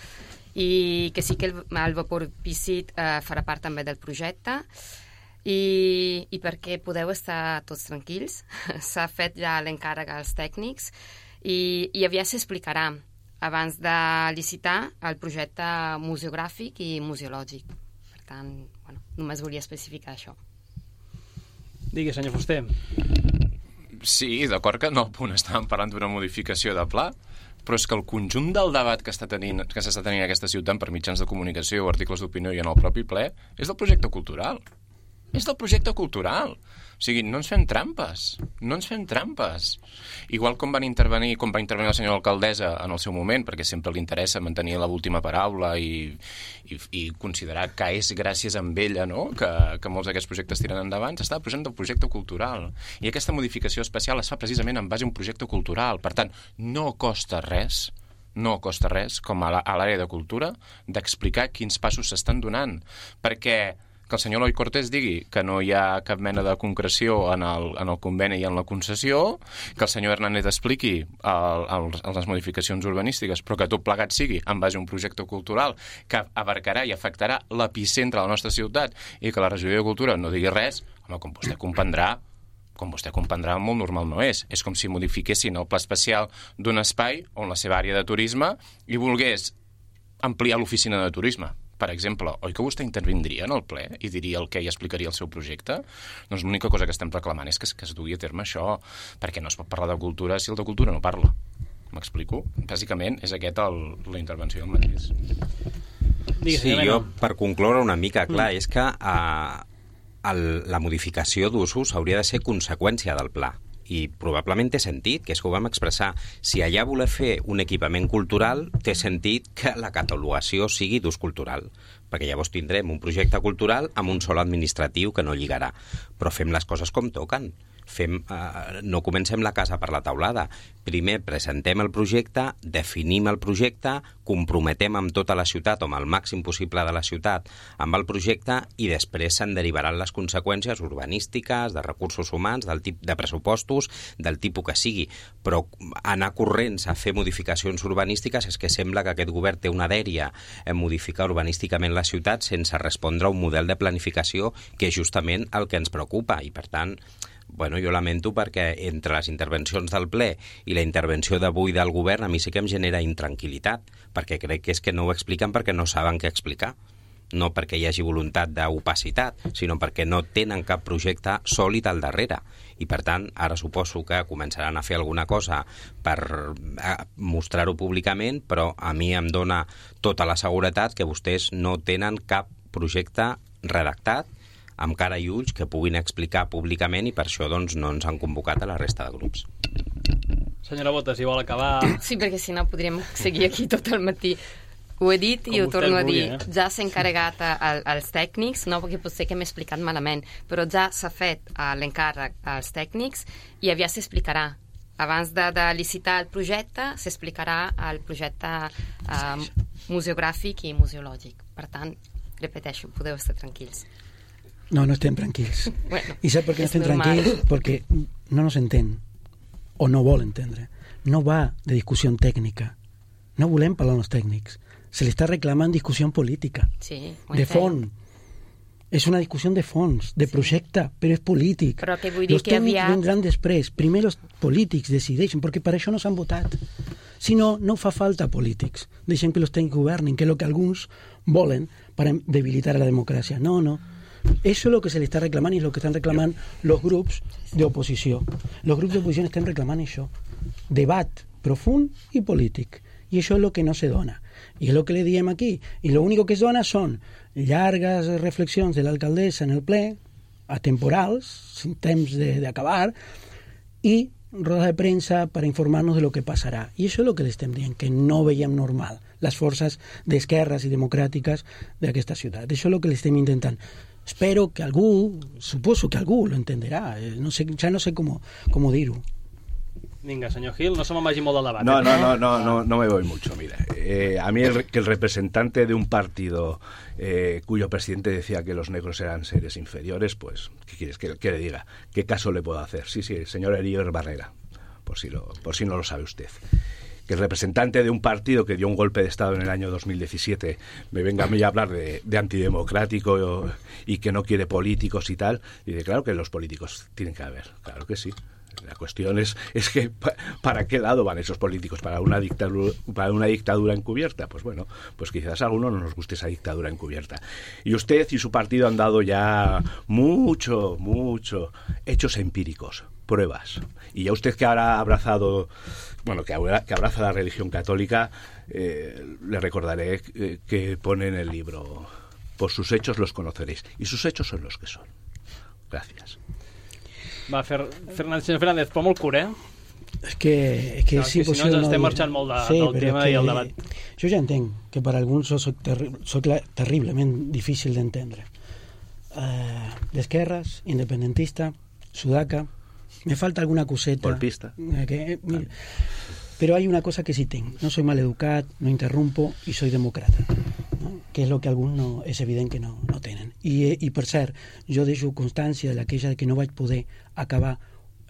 I que sí que el, el vapor Pícit eh, farà part també del projecte, i, i perquè podeu estar tots tranquils. S'ha fet ja l'encàrrec als tècnics i, i aviat s'explicarà abans de licitar el projecte museogràfic i museològic. Per tant, bueno, només volia especificar això.
Digui, senyor Fuster.
Sí, d'acord que no al punt estàvem parlant d'una modificació de pla, però és que el conjunt del debat que està tenint, que s'està tenint en aquesta ciutat per mitjans de comunicació o articles d'opinió i en el propi ple és del projecte cultural. És del projecte cultural. O sigui, no ens fem trampes. No ens fem trampes. Igual com van intervenir, com va intervenir la senyora alcaldessa en el seu moment, perquè sempre li interessa mantenir l'última paraula i, i, i considerar que és gràcies a ella, no?, que, que molts d'aquests projectes tiren endavant, s'estava posant del projecte cultural. I aquesta modificació especial es fa precisament en base a un projecte cultural. Per tant, no costa res no costa res, com a l'àrea de cultura, d'explicar quins passos s'estan donant. Perquè que el senyor Eloi Cortés digui que no hi ha cap mena de concreció en el, en el conveni i en la concessió, que el senyor Hernández expliqui el, el, les modificacions urbanístiques, però que tot plegat sigui en base a un projecte cultural que abarcarà i afectarà l'epicentre de la nostra ciutat i que la regidoria de Cultura no digui res, home, com vostè comprendrà, com vostè comprendrà, molt normal no és. És com si modifiquessin el pla especial d'un espai on la seva àrea de turisme i volgués ampliar l'oficina de turisme, per exemple. Oi que vostè intervindria en el ple i diria el que i explicaria el seu projecte? Doncs l'única cosa que estem reclamant és que, que es dugui a terme això, perquè no es pot parlar de cultura si el de cultura no parla. M'explico? Bàsicament és aquesta la intervenció del mateix.
Sí, jo, per concloure una mica, clar, és que uh, el, la modificació d'usos hauria de ser conseqüència del pla. I probablement té sentit, que és que ho vam expressar. Si allà voler fer un equipament cultural, té sentit que la catalogació sigui d'ús cultural. perquè llavors tindrem un projecte cultural amb un sol administratiu que no lligarà. Però fem les coses com toquen. Fem, eh, no comencem la casa per la teulada. Primer presentem el projecte, definim el projecte, comprometem amb tota la ciutat o amb el màxim possible de la ciutat amb el projecte i després se'n derivaran les conseqüències urbanístiques, de recursos humans, del tip de pressupostos, del tipus que sigui. Però anar corrents a fer modificacions urbanístiques és que sembla que aquest govern té una dèria en modificar urbanísticament la ciutat sense respondre a un model de planificació que és justament el que ens preocupa i, per tant, bueno, jo lamento perquè entre les intervencions del ple i la intervenció d'avui del govern a mi sí que em genera intranquil·litat, perquè crec que és que no ho expliquen perquè no saben què explicar. No perquè hi hagi voluntat d'opacitat, sinó perquè no tenen cap projecte sòlid al darrere. I, per tant, ara suposo que començaran a fer alguna cosa per mostrar-ho públicament, però a mi em dona tota la seguretat que vostès no tenen cap projecte redactat amb cara i ulls que puguin explicar públicament i per això doncs, no ens han convocat a la resta de grups.
Senyora Bota, si vol acabar...
Sí, perquè si no podríem seguir aquí tot el matí. Ho he dit i ho torno a dir. Eh? Ja s'ha encarregat al, als tècnics, no perquè potser que m'he explicat malament, però ja s'ha fet uh, l'encàrrec als tècnics i aviat s'explicarà. Abans de, de licitar el projecte, s'explicarà el projecte uh, museogràfic i museològic. Per tant, repeteixo, podeu estar tranquils.
No, no estem tranquils.
Bueno,
I sap per què no estem
normal.
tranquils? Perquè no nos entén, o no vol entendre. No va de discussió tècnica. No volem parlar amb els tècnics. Se li està reclamant discussió política.
Sí,
de fons. És una discussió de fons, de sí. projecte, però és polític.
Però que vull dir
los
que
tècnics
aviat...
vindran després. Primer els polítics decideixen, perquè per això no s'han votat. Si no, no fa falta polítics. Deixem que els tècnics governin, que és el que alguns volen per debilitar la democràcia. No, no. Eso es lo que se le está reclamando y es lo que están reclamando los grupos de oposición. Los grupos de oposición están reclamando eso. Debat profund y polític. Y eso es lo que no se dona. Y es lo que le diem aquí. Y lo único que es dona son llargues reflexions de l'alcaldessa en el ple, atemporals, sin temps d'acabar, i roda de premsa per informar-nos de lo que passarà. I això és el que li estem dient, que no veiem normal les forces d'esquerres i democràtiques d'aquesta ciutat. Això és el que li estem intentant. Espero que algú, suposo que algú lo entenderà, no sé, ja no sé com, com dir-ho.
Venga, señor Gil, no se me vagi molt del debat.
No, no, no, no, no, no me voy mucho, mira. Eh, a mí el, que el representante de un partido eh, cuyo presidente decía que los negros eran seres inferiores, pues, ¿qué quieres que, que le diga? ¿Qué caso le puedo hacer? Sí, sí, el señor Erier Barrera, por si, lo, por si no lo sabe usted. Que el representante de un partido que dio un golpe de Estado en el año dos mil diecisiete me venga a mí a hablar de, de antidemocrático y que no quiere políticos y tal, y de claro que los políticos tienen que haber, claro que sí. La cuestión es, es que ¿para qué lado van esos políticos? ¿Para una dictadura, para una dictadura encubierta? Pues bueno, pues quizás a alguno no nos guste esa dictadura encubierta. Y usted y su partido han dado ya mucho, mucho hechos empíricos, pruebas. Y ya usted que ahora ha abrazado, bueno, que, que abraza la religión católica, eh, le recordaré que, que pone en el libro: por sus hechos los conoceréis. Y sus hechos son los que son. Gracias.
Va, Fer... Fernández, senyor Fernández, però molt curt, eh?
És que, és que
no,
sí,
és que si no ens estem marxant molt de, sí, del tema i el debat.
Jo ja entenc que per alguns soc, terri soc terriblement difícil d'entendre. Uh, D'esquerres, independentista, sudaca, me falta alguna coseta.
Golpista.
Eh, que, mira, pero hay una cosa que sí tengo. No soy maleducat, no interrumpo y soy demócrata. ¿No? Que és el que alguns no, és evident que no, no tenen. I, I per cert, jo deixo constància de l'aquella de que no vaig poder acabar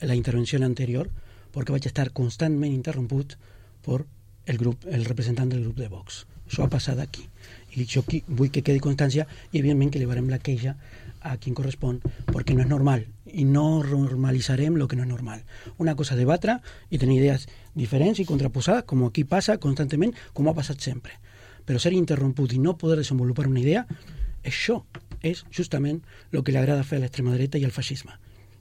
la intervenció anterior perquè vaig estar constantment interromput per el, grup, el representant del grup de Vox. Això ha passat aquí. I jo aquí vull que quedi constància i evidentment que llevarem la queixa a qui correspon, perquè no és normal i no normalitzarem el que no és normal. Una cosa és debatre i tenir idees diferents i contraposades, com aquí passa constantment, com ha passat sempre. Però ser interromput i no poder desenvolupar una idea, això és justament el que li agrada fer a l'extrema dreta i al feixisme.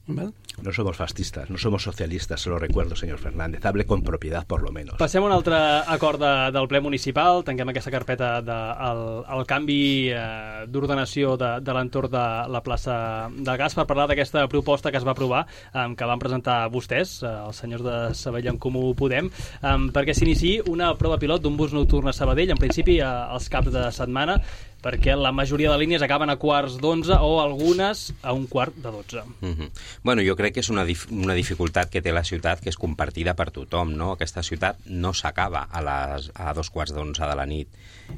¿Vale?
No somos fascistas, no somos socialistas, se lo recuerdo, señor Fernández. Hable con propiedad, por lo menos.
Passem a un altre acord de, del ple municipal. Tanquem aquesta carpeta del de, el canvi eh, d'ordenació de, de l'entorn de la plaça del Gas per parlar d'aquesta proposta que es va aprovar, eh, que van presentar vostès, eh, els senyors de Sabadell en Comú Podem, eh, perquè s'iniciï una prova pilot d'un bus nocturn a Sabadell, en principi eh, als caps de setmana. perquè la majoria de línies acaben a quarts d'onze o algunes a un quart de dotze.
Mm-hmm. Bueno, jo crec que és una, dif una dificultat que té la ciutat que és compartida per tothom, no? Aquesta ciutat no s'acaba a, les, a dos quarts d'onze de la nit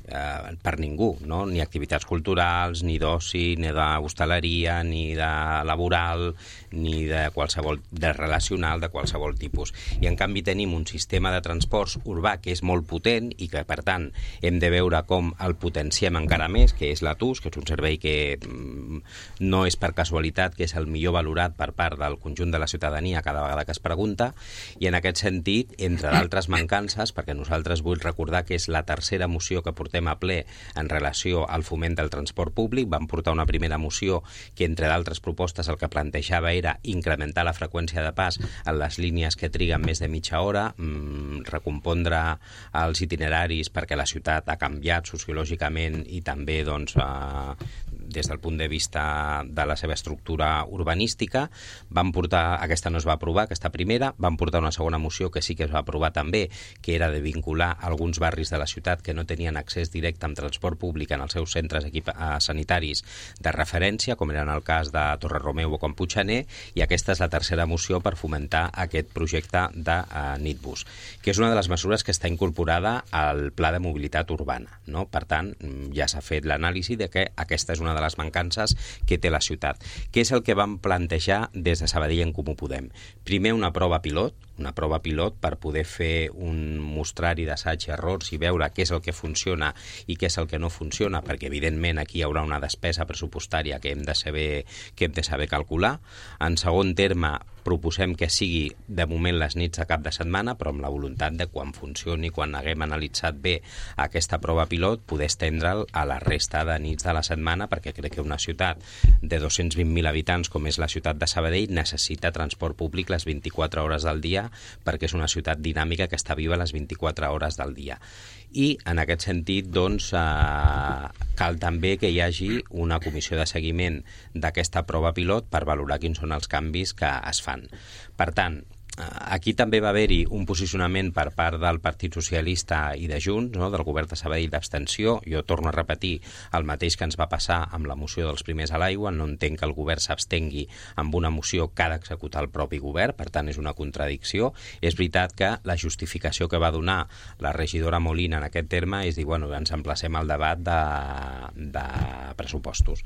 eh, per ningú, no? Ni activitats culturals, ni d'oci, ni d'hostaleria, ni de laboral, ni de qualsevol, de relacional, de qualsevol tipus. I en canvi tenim un sistema de transports urbà que és molt potent i que, per tant, hem de veure com el potenciem encara més, que és l'Atus, que és un servei que mm, no és per casualitat que és el millor valorat per part del conjunt de la ciutadania cada vegada que es pregunta, i en aquest sentit, entre d'altres mancances, perquè nosaltres vull recordar que és la tercera moció que portem a ple en relació al foment del transport públic, vam portar una primera moció que, entre d'altres propostes, el que plantejava era incrementar la freqüència de pas en les línies que triguen més de mitja hora, mmm, recompondre els itineraris perquè la ciutat ha canviat sociològicament i també també doncs, eh, des del punt de vista de la seva estructura urbanística. Vam portar, aquesta no es va aprovar, aquesta primera, vam portar una segona moció que sí que es va aprovar també, que era de vincular alguns barris de la ciutat que no tenien accés directe amb transport públic en els seus centres sanitaris de referència, com era en el cas de Torre-Romeu o Puiggener, i aquesta és la tercera moció per fomentar aquest projecte de uh, Nitbus, que és una de les mesures que està incorporada al Pla de Mobilitat Urbana, no? Per tant, ja s'ha fet l'anàlisi de que aquesta és una de les mancances que té la ciutat. Què és el que vam plantejar des de Sabadell en Comú Podem? Primer, una prova pilot, una prova pilot per poder fer un mostrari d'assaig i errors i veure què és el que funciona i què és el que no funciona, perquè evidentment aquí hi haurà una despesa pressupostària que hem de saber, que hem de saber calcular. En segon terme, proposem que sigui de moment les nits de cap de setmana, però amb la voluntat de quan funcioni, quan haguem analitzat bé aquesta prova pilot, poder estendre'l a la resta de nits de la setmana, perquè crec que una ciutat de dos-cents vint mil habitants com és la ciutat de Sabadell necessita transport públic les vint-i-quatre hores del dia, perquè és una ciutat dinàmica que està viva les vint-i-quatre hores del dia. I en aquest sentit, doncs, eh, cal també que hi hagi una comissió de seguiment d'aquesta prova pilot per valorar quins són els canvis que es fan. Per tant, aquí també va haver-hi un posicionament per part del Partit Socialista i de Junts, no? Del govern de Sabadell d'abstenció. Jo torno a repetir el mateix que ens va passar amb la moció dels primers a l'aigua. No entenc que el govern s'abstengui amb una moció que ha d'executar el propi govern, per tant és una contradicció. És veritat que la justificació que va donar la regidora Molina en aquest terme és dir, bueno, ens emplacem al debat de, de pressupostos.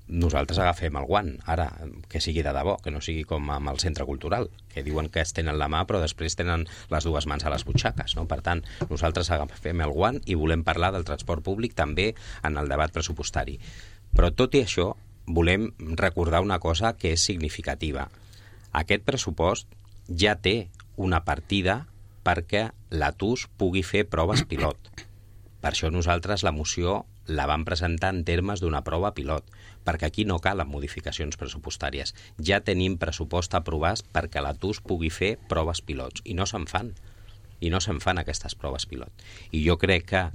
Nosaltres agafem el guant, ara, que sigui de debò, que no sigui com amb el centre cultural, que diuen que es tenen la mà però després tenen les dues mans a les butxaques, no? Per tant, nosaltres agafem el guant i volem parlar del transport públic també en el debat pressupostari. Però tot i això, volem recordar una cosa que és significativa. Aquest pressupost ja té una partida perquè l'Atus pugui fer proves pilot. Per això nosaltres la moció la vam presentar en termes d'una prova pilot, perquè aquí no calen modificacions pressupostàries. Ja tenim pressupost aprovat perquè l'Atus pugui fer proves pilots, i no se'n fan. I no se'n fan aquestes proves pilot. I jo crec que eh,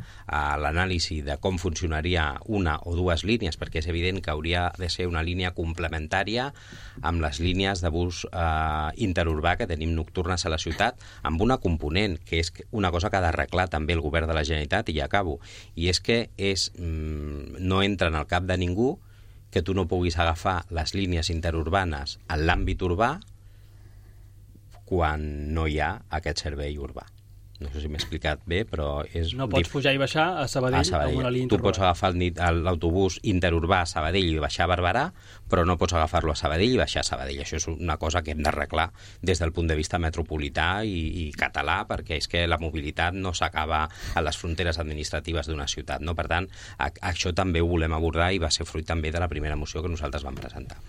l'anàlisi de com funcionaria una o dues línies, perquè és evident que hauria de ser una línia complementària amb les línies de bus eh, interurbà que tenim nocturnes a la ciutat, amb una component, que és una cosa que ha d'arreglar també el govern de la Generalitat, i ja acabo, i és que és, mm, no entra en el cap de ningú que tu no puguis agafar les línies interurbanes en l'àmbit urbà quan no hi ha aquest servei urbà. No sé si m'he explicat bé, però és...
No pots pujar i baixar a Sabadell, a Sabadell. Amb una línia
interurbà. Tu pots agafar l'autobús interurbà a Sabadell i baixar a Barberà, però no pots agafar-lo a Sabadell i baixar a Sabadell. Això és una cosa que hem d'arreglar des del punt de vista metropolità i, i català, perquè és que la mobilitat no s'acaba a les fronteres administratives d'una ciutat, no? Per tant, a, això també ho volem abordar i va ser fruit també de la primera moció que nosaltres vam presentar.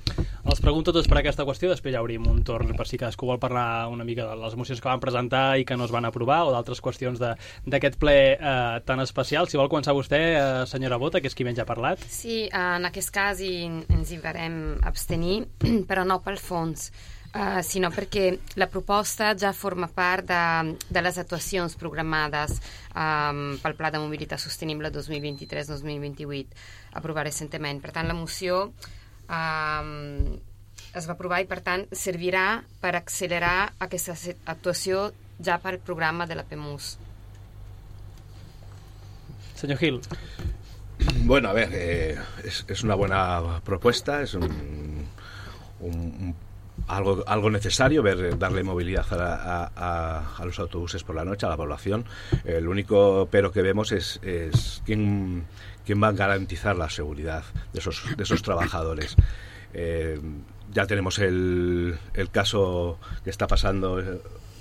Els pregunto tots per aquesta qüestió, després ja obrim un torn per si cadascú vol parlar una mica de les mocions que van presentar i que no es van aprovar, o d'altres qüestions d'aquest ple eh, tan especial. Si vol començar vostè, eh, senyora Bota, que és qui menys ha parlat.
Sí, en aquest cas hi, ens hi varem abstenir, però no pel fons, eh, sinó perquè la proposta ja forma part de, de les actuacions programades eh, pel Pla de Mobilitat Sostenible dos mil vint-i-tres dos mil vint-i-vuit, aprovat recentment. Per tant, la moció eh, es va aprovar i, per tant, servirà per accelerar aquesta actuació ja per el programa de la P E M U S.
Senyor Gil.
Bueno, a ver, eh, es, es una buena propuesta, es un, un, un algo, algo necesario, ver, darle movilidad a, a, a los autobuses por la noche, a la población. El único pero que vemos es, es quién, quién va a garantizar la seguridad de esos, de esos trabajadores. Eh, ya tenemos el, el caso que está pasando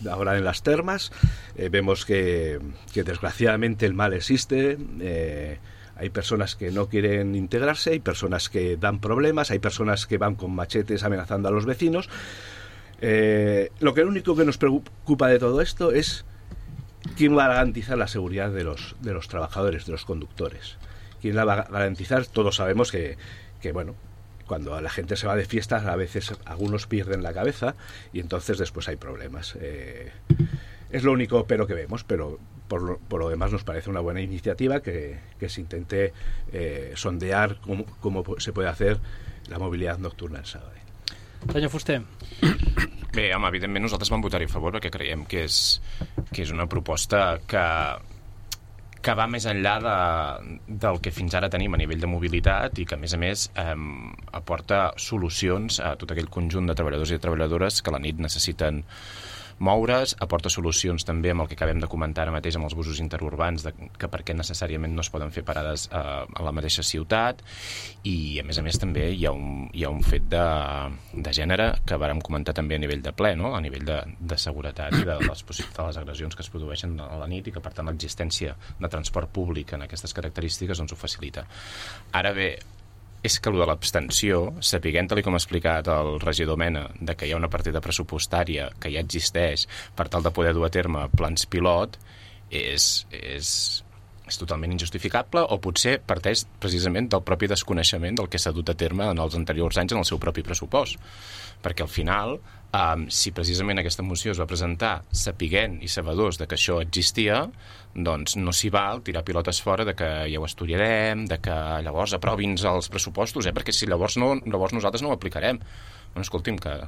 ahora en las termas. Eh, vemos que, que desgraciadamente el mal existe. Eh, Hay personas que no quieren integrarse, hay personas que dan problemas, hay personas que van con machetes amenazando a los vecinos. Eh, lo que lo único que nos preocupa de todo esto es quién va a garantizar la seguridad de los, de los trabajadores, de los conductores. ¿Quién la va a garantizar? Todos sabemos que, que bueno, cuando la gente se va de fiestas, a veces algunos pierden la cabeza y entonces después hay problemas. Eh, es lo único pero que vemos, pero por lo, por lo demás nos parece una buena iniciativa que, que se intente eh, sondear cómo, cómo se puede hacer la mobilitat nocturna en Sabadell.
Senyor Fuster.
Bé, home, evidentment nosaltres vam votar-hi a favor perquè creiem que és, que és una proposta que, que va més enllà de, del que fins ara tenim a nivell de mobilitat i que, a més a més, eh, aporta solucions a tot aquell conjunt de treballadors i de treballadores que a la nit necessiten moure's, aporta solucions també amb el que acabem de comentar ara mateix amb els busos interurbans, de, que per què necessàriament no es poden fer parades a, a la mateixa ciutat, i a més a més també hi ha un, hi ha un fet de, de gènere que vàrem comentar també a nivell de ple, no? A nivell de, de seguretat i de les, de les agressions que es produeixen a la nit i que per tant l'existència de transport públic en aquestes característiques doncs ho facilita. Ara bé, és que el de l'abstenció, sapiguent, tal com ha explicat el regidor Mena, de que hi ha una partida pressupostària que ja existeix per tal de poder dur a terme plans pilot, és, és, és totalment injustificable, o potser parteix precisament del propi desconeixement del que s'ha dut a terme en els anteriors anys en el seu propi pressupost. Perquè al final, um, si precisament aquesta moció es va presentar sapiguent i sabedors de que això existia, doncs no s'hi val tirar pilotes fora de que ja ho estudiarem, de que llavors aprovi'ns els pressupostos, eh? Perquè si llavors, no, llavors nosaltres no ho aplicarem. Bueno, escolti'm, que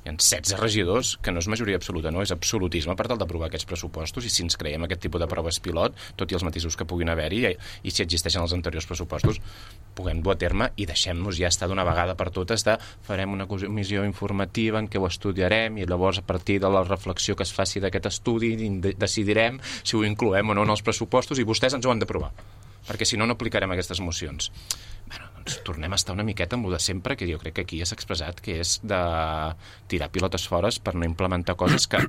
hi ha setze regidors, que no és majoria absoluta, no, és absolutisme per tal d'aprovar aquests pressupostos, i si ens creiem aquest tipus de proves pilot, tot i els matisos que puguin haver-hi, i, i si existeixen els anteriors pressupostos, puguem dur a terme i deixem-nos ja estar d'una vegada per totes de farem una comissió informativa en què ho estudiarem i llavors a partir de la reflexió que es faci d'aquest estudi decidirem si ho incloem o no en els pressupostos i vostès ens ho han d'aprovar, perquè si no no aplicarem aquestes mocions. Bueno, doncs tornem a estar una miqueta amb el de sempre, que jo crec que aquí ja s'ha expressat, que és de tirar pilotes fores per no implementar coses que,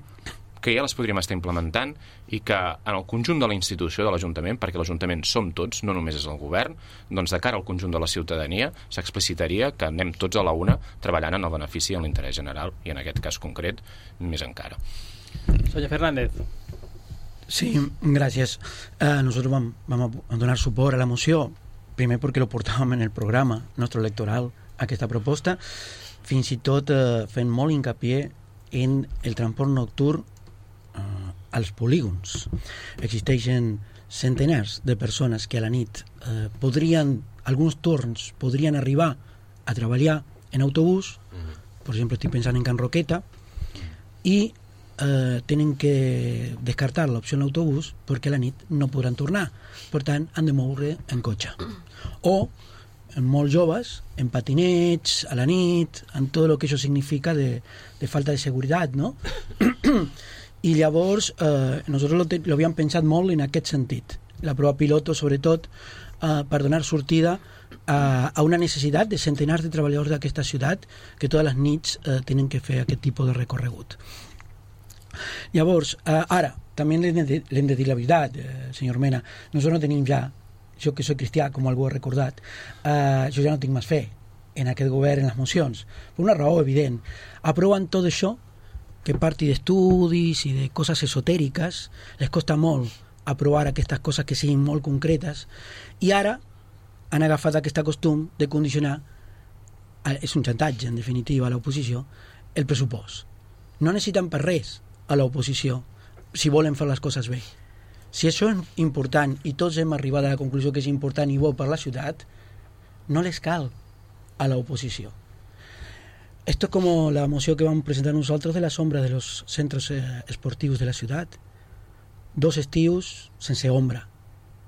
que ja les podríem estar implementant i que en el conjunt de la institució de l'Ajuntament, perquè l'Ajuntament som tots, no només és el govern, doncs de cara al conjunt de la ciutadania s'explicitaria que anem tots a la una treballant en el benefici i en l'interès general, i en aquest cas concret més encara.
Senyor Fernández.
Sí, gràcies. Eh, nosotros vam, vam a donar suport a la moció, primer perquè lo portàvem en el programa nostre electoral, aquesta proposta, fins i tot eh, fent molt hincapié en el transport nocturn eh, als polígons. Existeixen centenars de persones que a la nit eh, podrien, alguns torns, podrien arribar a treballar en autobús, per exemple, estic pensant en Can Roqueta, i eh, tenen que descartar l'opció en l'autobús perquè a la nit no podran tornar. Per tant, han de moure en cotxe. O, en molts joves, en patinets, a la nit, en tot el que això significa de, de falta de seguretat, no? I llavors, eh, nosaltres lo, te, lo havíem pensat molt en aquest sentit. La prova piloto, sobretot, eh, per donar sortida a, a una necessitat de centenars de treballadors d'aquesta ciutat que totes les nits eh, tenen que fer aquest tipus de recorregut. Llavors, eh, ara, també l'hem de, l'hem de dir la veritat, eh, senyor Mena, nosaltres no tenim ja, jo que soc cristià, com algú ha recordat, eh, jo ja no tinc més fe en aquest govern, en les mocions, per una raó evident. Aproven tot això, que parti d'estudis i de coses esotèriques, les costa molt aprovar aquestes coses que siguin molt concretes, i ara han agafat aquest costum de condicionar, és un xantatge, en definitiva, a l'oposició, el pressupost. No necessiten per res a l'oposició si volen fer les coses bé. Si això és important i tots hem arribat a la conclusió que és important i bo per la ciutat, no les cal a l'oposició. Esto es como la moció que vam presentar nosotros de la sombra de los centros eh, esportivos de la ciutat. Dos estius sense ombra.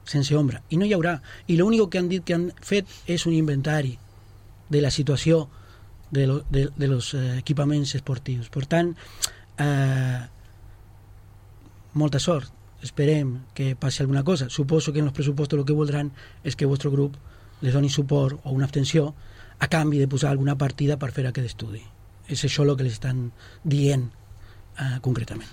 sense ombra, i no hi haurà. I l'únic que han dit que han fet és un inventari de la situació de, lo, de, de los eh, equipaments esportius. Per tant, eh, molta sort. Esperem que passi alguna cosa. Suposo que en els pressupostos el que voldran és que el vostre grup les doni suport o una abstenció a canvi de posar alguna partida per fer aquest estudi. És això el que les estan dient eh, concretament.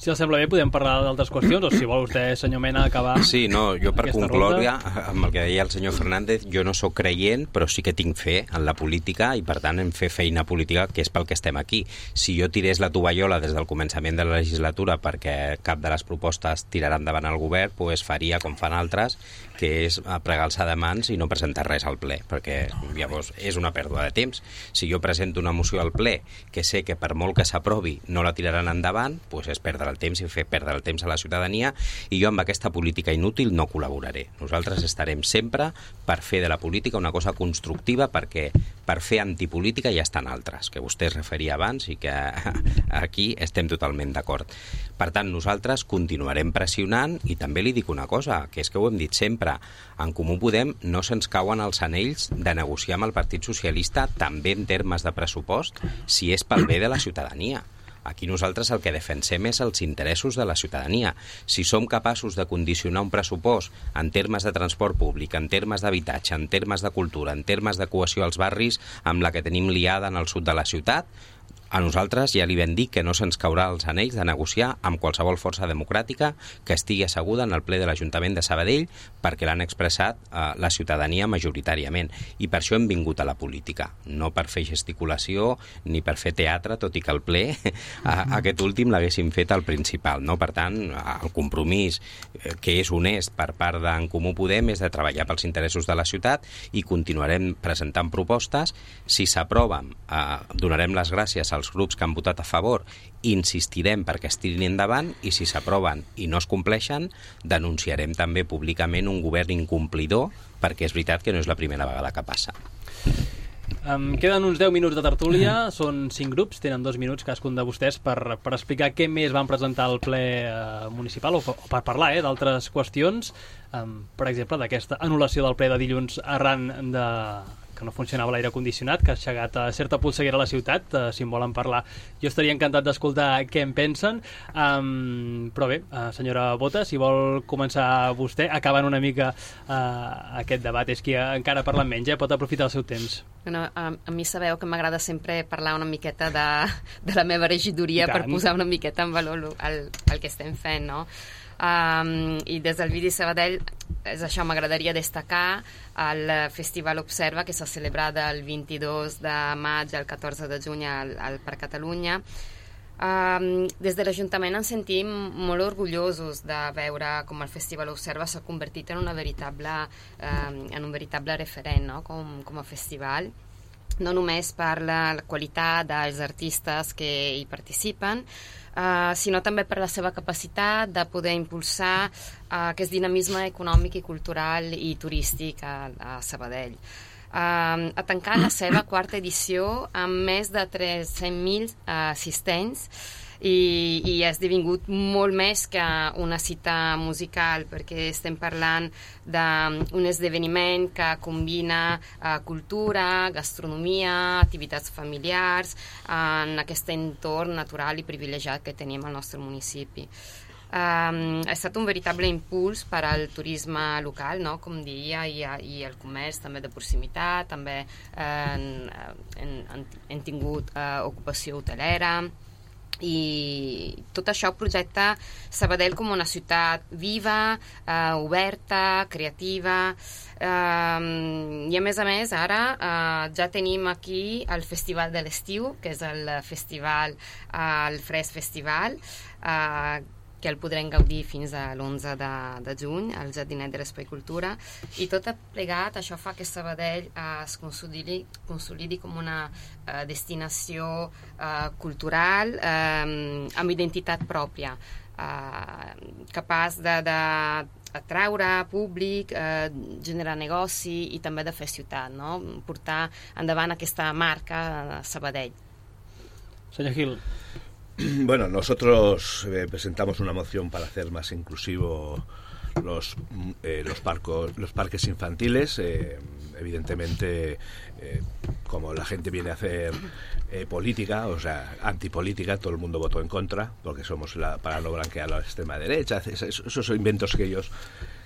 Si els sembla bé, podem parlar d'altres qüestions, o si vol vostè, senyor Mena, acabar...
Sí, no, jo per concloure,
ronda.
amb el que deia el senyor Fernández, jo no sóc creient, però sí que tinc fe en la política i, per tant, en fer feina política, que és pel que estem aquí. Si jo tirés la tovallola des del començament de la legislatura perquè cap de les propostes tirarà endavant al govern, doncs faria com fan altres, que és pregar-se de mans i no presentar res al ple, perquè llavors és una pèrdua de temps. Si jo presento una moció al ple que sé que per molt que s'aprovi no la tiraran endavant, doncs és perdre el temps i fer perdre el temps a la ciutadania, i jo amb aquesta política inútil no col·laboraré. Nosaltres estarem sempre per fer de la política una cosa constructiva, perquè per fer antipolítica ja estan altres, que vostè es referia abans i que aquí estem totalment d'acord. Per tant, nosaltres continuarem pressionant, i també li dic una cosa, que és que ho hem dit sempre, en Comú Podem no se'ns cauen els anells de negociar amb el Partit Socialista també en termes de pressupost, si és pel bé de la ciutadania. Aquí nosaltres el que defensem és els interessos de la ciutadania. Si som capaços de condicionar un pressupost en termes de transport públic, en termes d'habitatge, en termes de cultura, en termes de cohesió als barris amb la que tenim liada en el sud de la ciutat, a nosaltres ja li vam dir que no se'ns caurà els anells de negociar amb qualsevol força democràtica que estigui asseguda en el ple de l'Ajuntament de Sabadell, perquè l'han expressat eh, la ciutadania majoritàriament. I per això hem vingut a la política, no per fer gesticulació ni per fer teatre, tot i que el ple a, aquest últim l'haguéssim fet al principal. No? Per tant, el compromís eh, que és honest per part d'en Comú Podem és de treballar pels interessos de la ciutat, i continuarem presentant propostes. Si s'aproven, eh, donarem les gràcies als grups que han votat a favor, insistirem perquè es tirin endavant, i si s'aproven i no es compleixen, denunciarem també públicament un govern incomplidor, perquè és veritat que no és la primera vegada que passa.
Um, queden uns deu minuts de tertúlia, són cinc grups, tenen dos minuts cadascun de vostès per, per explicar què més van presentar al ple uh, municipal, o, o per parlar eh, d'altres qüestions, um, per exemple, d'aquesta anul·lació del ple de dilluns arran de que no funcionava l'aire condicionat, que ha aixegat a certa polseguera a la ciutat. Uh, si en volen parlar, jo estaria encantat d'escoltar què en pensen. Um, però bé, uh, senyora Bota, si vol començar vostè, acabant una mica uh, aquest debat. És que encara parla menys, eh? Pot aprofitar el seu temps.
Bueno, a, a mi sabeu que m'agrada sempre parlar una miqueta de, de la meva regidoria per posar una miqueta en valor el, el que estem fent, no? Um, i des del Vidi Sabadell és això, m'agradaria destacar el Festival Observa, que s'ha celebrat el vint-i-dos de maig al catorze de juny al, al Parc Catalunya. Um, des de l'Ajuntament ens sentim molt orgullosos de veure com el Festival Observa s'ha convertit en, una veritable, um, en un veritable referent, no? com, com a festival, no només per la, la qualitat dels artistes que hi participen, Uh, sinó també per la seva capacitat de poder impulsar uh, aquest dinamisme econòmic i cultural i turístic a, a Sabadell. Uh, ha tancat la seva quarta edició amb més de tres-cents mil uh, assistents, i, i ha esdevingut molt més que una cita musical, perquè estem parlant d'un esdeveniment que combina uh, cultura, gastronomia, activitats familiars en aquest entorn natural i privilegiat que tenim al nostre municipi. Um, ha estat un veritable impuls per al turisme local, no? Com diria, i, i el comerç també de proximitat, també eh, hem, hem tingut eh, ocupació hotelera, i tot això projecta Sabadell com una ciutat viva, eh, oberta, creativa, eh, i a més a més ara eh, ja tenim aquí el Festival de l'Estiu, que és el festival, eh, el Fresc Festival, eh, que el podrem gaudir fins a l'onze de, de juny al Jardinet de l'Espai Cultura, i tot plegat això fa que Sabadell eh, es consolidi, consolidi com una eh, destinació eh, cultural eh, amb identitat pròpia, eh, capaç de, de atraure públic, eh, generar negoci i també de fer ciutat, no? Portar endavant aquesta marca Sabadell.
Senyor Gil.
Bueno, nosotros eh, presentamos una moción para hacer más inclusivo los, eh, los, parcos, los parques infantiles. Eh, evidentemente, eh, como la gente viene a hacer eh, política, o sea, antipolítica, todo el mundo votó en contra, porque somos la, para no blanquear a la extrema derecha. Esos, esos son inventos que ellos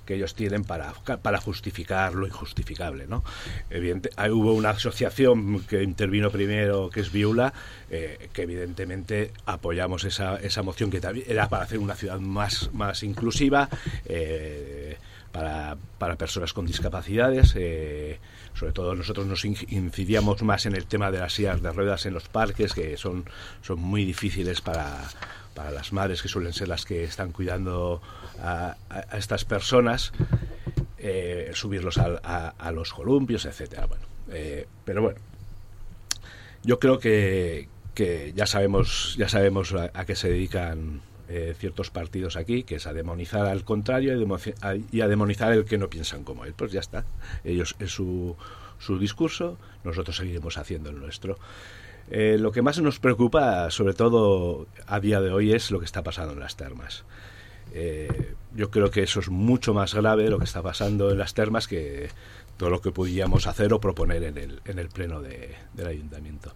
que ellos tienen para, para justificar lo injustificable, ¿no? Evidente, hay, hubo una asociación que intervino primero, que es Viula, eh, que evidentemente apoyamos esa, esa moción, que también era para hacer una ciudad más, más inclusiva, eh, para, para personas con discapacidades. Eh, sobre todo nosotros nos incidíamos más en el tema de las sillas de ruedas en los parques, que son, son muy difíciles para... para las madres, que suelen ser las que están cuidando a, a, a estas personas, eh, subirlos a, a, a los columpios, etcétera. Bueno, eh, pero bueno, yo creo que, que ya sabemos ya sabemos a, a qué se dedican eh, ciertos partidos aquí, que es a demonizar al contrario y, demo, a, y a demonizar el que no piensan como él. Pues ya está, ellos es su, su discurso, nosotros seguiremos haciendo el nuestro. Eh, lo que más nos preocupa, sobre todo a día de hoy, es lo que está pasando en las termas. Eh, yo creo que eso es mucho más grave, lo que está pasando en las termas, que todo lo que podíamos hacer o proponer en el, en el pleno de, del ayuntamiento.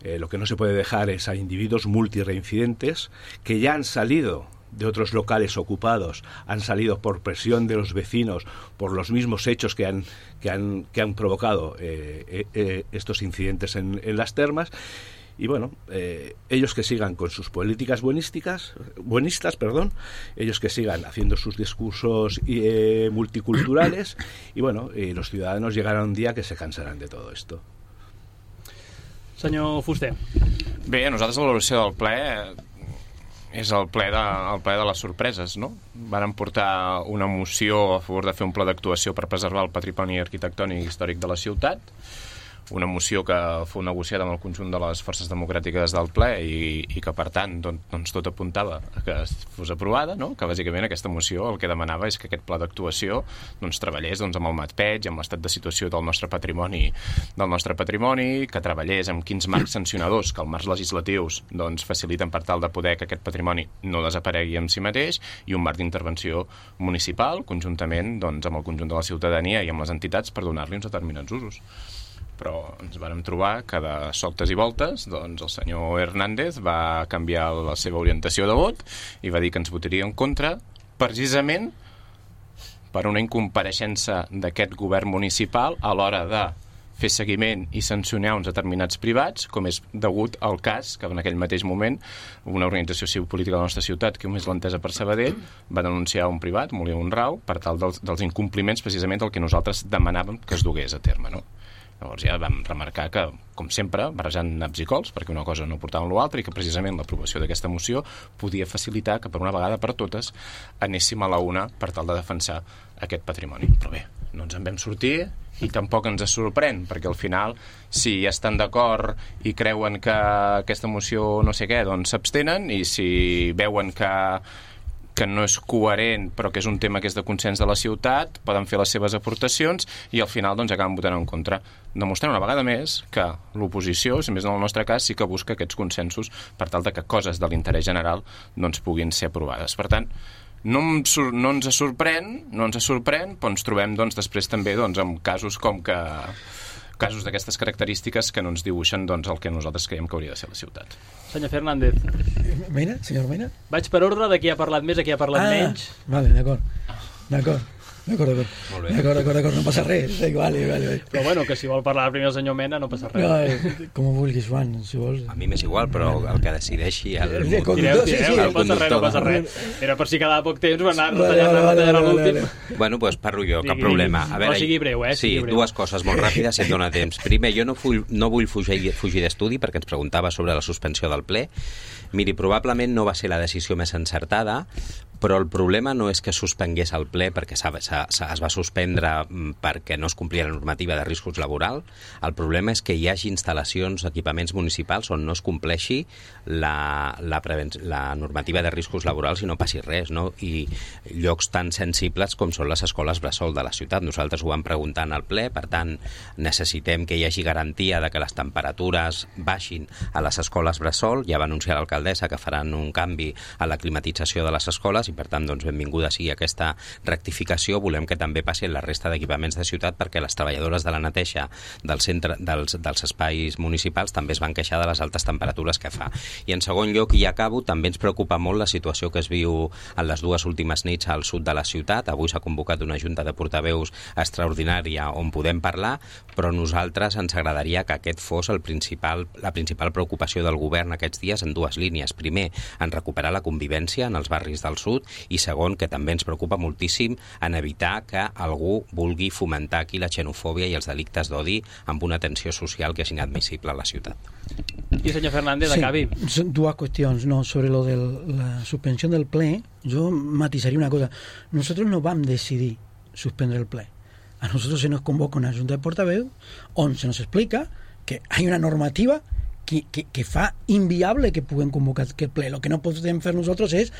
Eh, lo que no se puede dejar es a individuos multireincidentes que ya han salido de otros locales ocupados, han salido por presión de los vecinos, por los mismos hechos que han que han que han provocado eh, eh, estos incidentes en, en las termas. Y bueno, eh, ellos que sigan con sus políticas buenísticas, buenistas, perdón, ellos que sigan haciendo sus discursos eh, multiculturales, y bueno, eh, los ciudadanos llegará un día que se cansarán de todo esto.
Senyor Fuster.
Bé, nosaltres la valoració del ple és el ple, de, el ple de les sorpreses, no? Varen portar una moció a favor de fer un pla d'actuació per preservar el patrimoni arquitectònic i històric de la ciutat, una moció que fou negociada amb el conjunt de les forces democràtiques del ple i, i que, per tant, doncs, tot apuntava que fos aprovada, no? Que bàsicament aquesta moció el que demanava és que aquest pla d'actuació doncs, treballés doncs, amb el MatPeig, amb l'estat de situació del nostre patrimoni, del nostre patrimoni, que treballés amb quins marcs sancionadors que els marcs legislatius doncs, faciliten per tal de poder que aquest patrimoni no desaparegui en si mateix, i un marc d'intervenció municipal, conjuntament doncs, amb el conjunt de la ciutadania i amb les entitats, per donar-li uns determinats usos. Però ens vàrem trobar que de soltes i voltes doncs el senyor Hernández va canviar la seva orientació de vot i va dir que ens votaria en contra precisament per una incompareixença d'aquest govern municipal a l'hora de fer seguiment i sancionar uns determinats privats, com és degut al cas que en aquell mateix moment una organització civil política de la nostra ciutat, que més l'entesa per Sabadell, va denunciar un privat, Molí Honrau, per tal dels, dels incompliments precisament del que nosaltres demanàvem que es dugués a terme, no? Llavors ja vam remarcar que, com sempre, barrejant naps i cols, perquè una cosa no portava amb l'altra, i que precisament l'aprovació d'aquesta moció podia facilitar que per una vegada per totes anéssim a la una per tal de defensar aquest patrimoni. Però bé, no ens en vam sortir i tampoc ens sorprèn, perquè al final, si ja estan d'acord i creuen que aquesta moció no sé què, doncs s'abstenen, i si veuen que que no és coherent, però que és un tema que és de consens de la ciutat, poden fer les seves aportacions i al final doncs acaben votant en contra, demostrant una vegada més que l'oposició, si més no en el nostre cas, sí que busca aquests consensos per tal de que coses de l'interès general doncs puguin ser aprovades. Per tant, no, em, no ens sorprèn, no ens sorprèn, però ens trobem doncs, després també doncs, amb casos com que casos d'aquestes característiques que no ens dibuixen doncs, el que nosaltres creiem que hauria de ser la ciutat.
Senyor Fernández.
Mena, senyor Mena?
Vaig per ordre de qui ha parlat més a qui ha parlat
ah,
menys.
Vale, d'acord. D'acord. D'acord, d'acord.
Molt bé.
D'acord, d'acord, d'acord, no passa res. Vale, vale, vale.
Però bueno, que si vol parlar primer el senyor Mena no passa res.
No, eh, com ho vulguis, Joan, si vols.
A mi m'és igual, però el que decideixi el
El
conductor...
Tireu, tireu,
sí, sí,
no
el
passa res, no passa res. Era per si quedava poc temps, va anar retallant, retallant a l'últim.
Bueno, doncs parlo jo, cap
Digui,
problema. A veure,
però sigui breu, eh?
Sí,
sigui breu.
dues coses molt ràpides, si et dona temps. Primer, jo no, full, no vull fugir, fugir d'estudi perquè ens preguntava sobre la suspensió del ple. Miri, probablement no va ser la decisió més encertada, però el problema no és que suspengués el ple perquè s'ha, s'ha, es va suspendre perquè no es complia la normativa de riscos laboral. El problema és que hi hagi instal·lacions, equipaments municipals on no es compleixi la, la, la normativa de riscos laborals i no passi res, no? I llocs tan sensibles com són les escoles bressol de la ciutat. Nosaltres ho vam preguntar en el ple, per tant necessitem que hi hagi garantia de que les temperatures baixin a les escoles bressol. Ja va anunciar l'alcaldessa que faran un canvi a la climatització de les escoles i i per tant doncs, benvinguda sigui aquesta rectificació. Volem que també passi la resta d'equipaments de ciutat perquè les treballadores de la neteja del centre, dels, dels espais municipals també es van queixar de les altes temperatures que fa. I en segon lloc, i acabo, també ens preocupa molt la situació que es viu en les dues últimes nits al sud de la ciutat. Avui s'ha convocat una junta de portaveus extraordinària on podem parlar, però a nosaltres ens agradaria que aquest fos el principal, la principal preocupació del govern aquests dies en dues línies. Primer, en recuperar la convivència en els barris del sud i segon, que també ens preocupa moltíssim en evitar que algú vulgui fomentar aquí la xenofòbia i els delictes d'odi amb una tensió social que és inadmissible a la ciutat.
I senyor Fernández,
sí,
acabi.
Son dues qüestions. No, sobre lo de la suspensió del ple, jo matisaria una cosa. Nosotros no vam decidir suspendre el ple. A nosotros se nos convoca una junta de portaveus on se nos explica que hay una normativa que, que, que fa inviable que puguem convocar aquest ple. Lo que no podem fer nosaltres és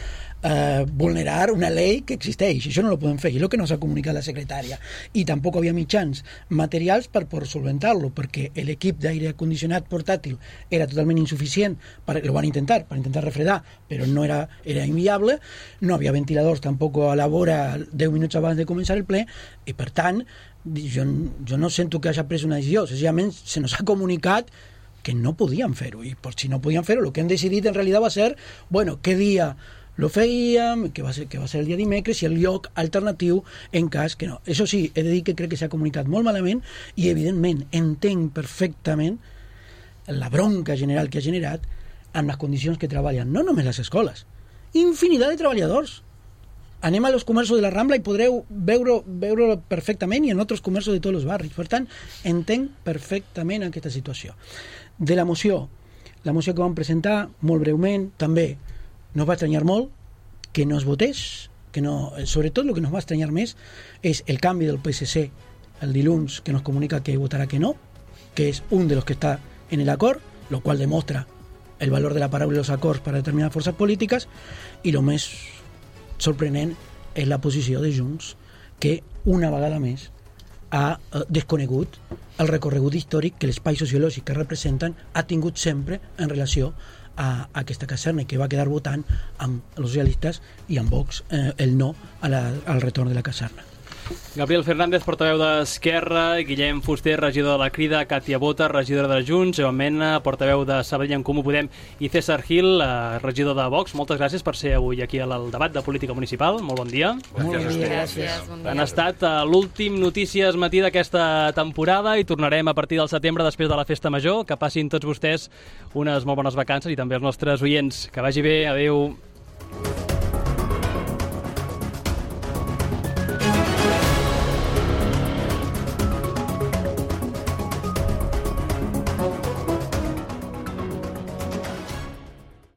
eh, vulnerar una llei que existeix. Això no lo podem fer. I és el que nos ha comunicat la secretària. I tampoc havia mitjans materials per poder solventar-lo, perquè l'equip d'aire condicionat portàtil era totalment insuficient. Per, lo van intentar, per intentar refredar, però no era, era inviable. No havia ventiladors tampoc a la vora deu minuts abans de començar el ple, i per tant, jo, jo no sento que hagi pres una decisió. Senzillament se nos ha comunicat que no podían fer-ho, i per si no podien fer-ho, el que han decidit en realitat va ser, bueno, què dia lo fèiem, que va ser, que va ser el dia dimecres, i el lloc alternatiu en cas que no. Això sí, he de dir que crec que s'ha comunicat molt malament i, evidentment, entenc perfectament la bronca general que ha generat amb les condicions que treballen, no només les escoles, infinitat de treballadors. Anem a los comerços de la Rambla i podreu veure, veure perfectament, i en altres comerços de tots els barris. Per tant, entenc perfectament aquesta situació. De la moció, la moció que vam presentar, molt breument, també nos va estranyar molt que no es votés, que no, sobretot el que nos va estranyar més és el canvi del P S C el dilluns, que nos comunica que votarà que no, que és un de los que està en el acord, lo cual demostra el valor de la paraula i los acords per a determinades forces polítiques, i lo més sorprenent és la posició de Junts, que una vegada més ha desconegut el recorregut històric que l'espai sociològic que representen ha tingut sempre en relació a aquesta caserna, i que va quedar votant amb els socialistes i amb Vox eh, el no a la, al retorn de la caserna.
Gabriel Fernández, portaveu d'Esquerra, Guillem Fuster, regidor de la Crida, Càtia Bota, regidora de Junts, Joan Mena, portaveu de Sabadell en Comú Podem, i César Gil, regidor de Vox. Moltes gràcies per ser avui aquí al debat de política municipal. Molt bon dia.
Molt bon dia.
Gràcies. Bon dia.
Han estat l'últim Notícies Matí d'aquesta temporada i tornarem a partir del setembre després de la Festa Major. Que passin tots vostès unes molt bones vacances i també els nostres oients. Que vagi bé. Adéu.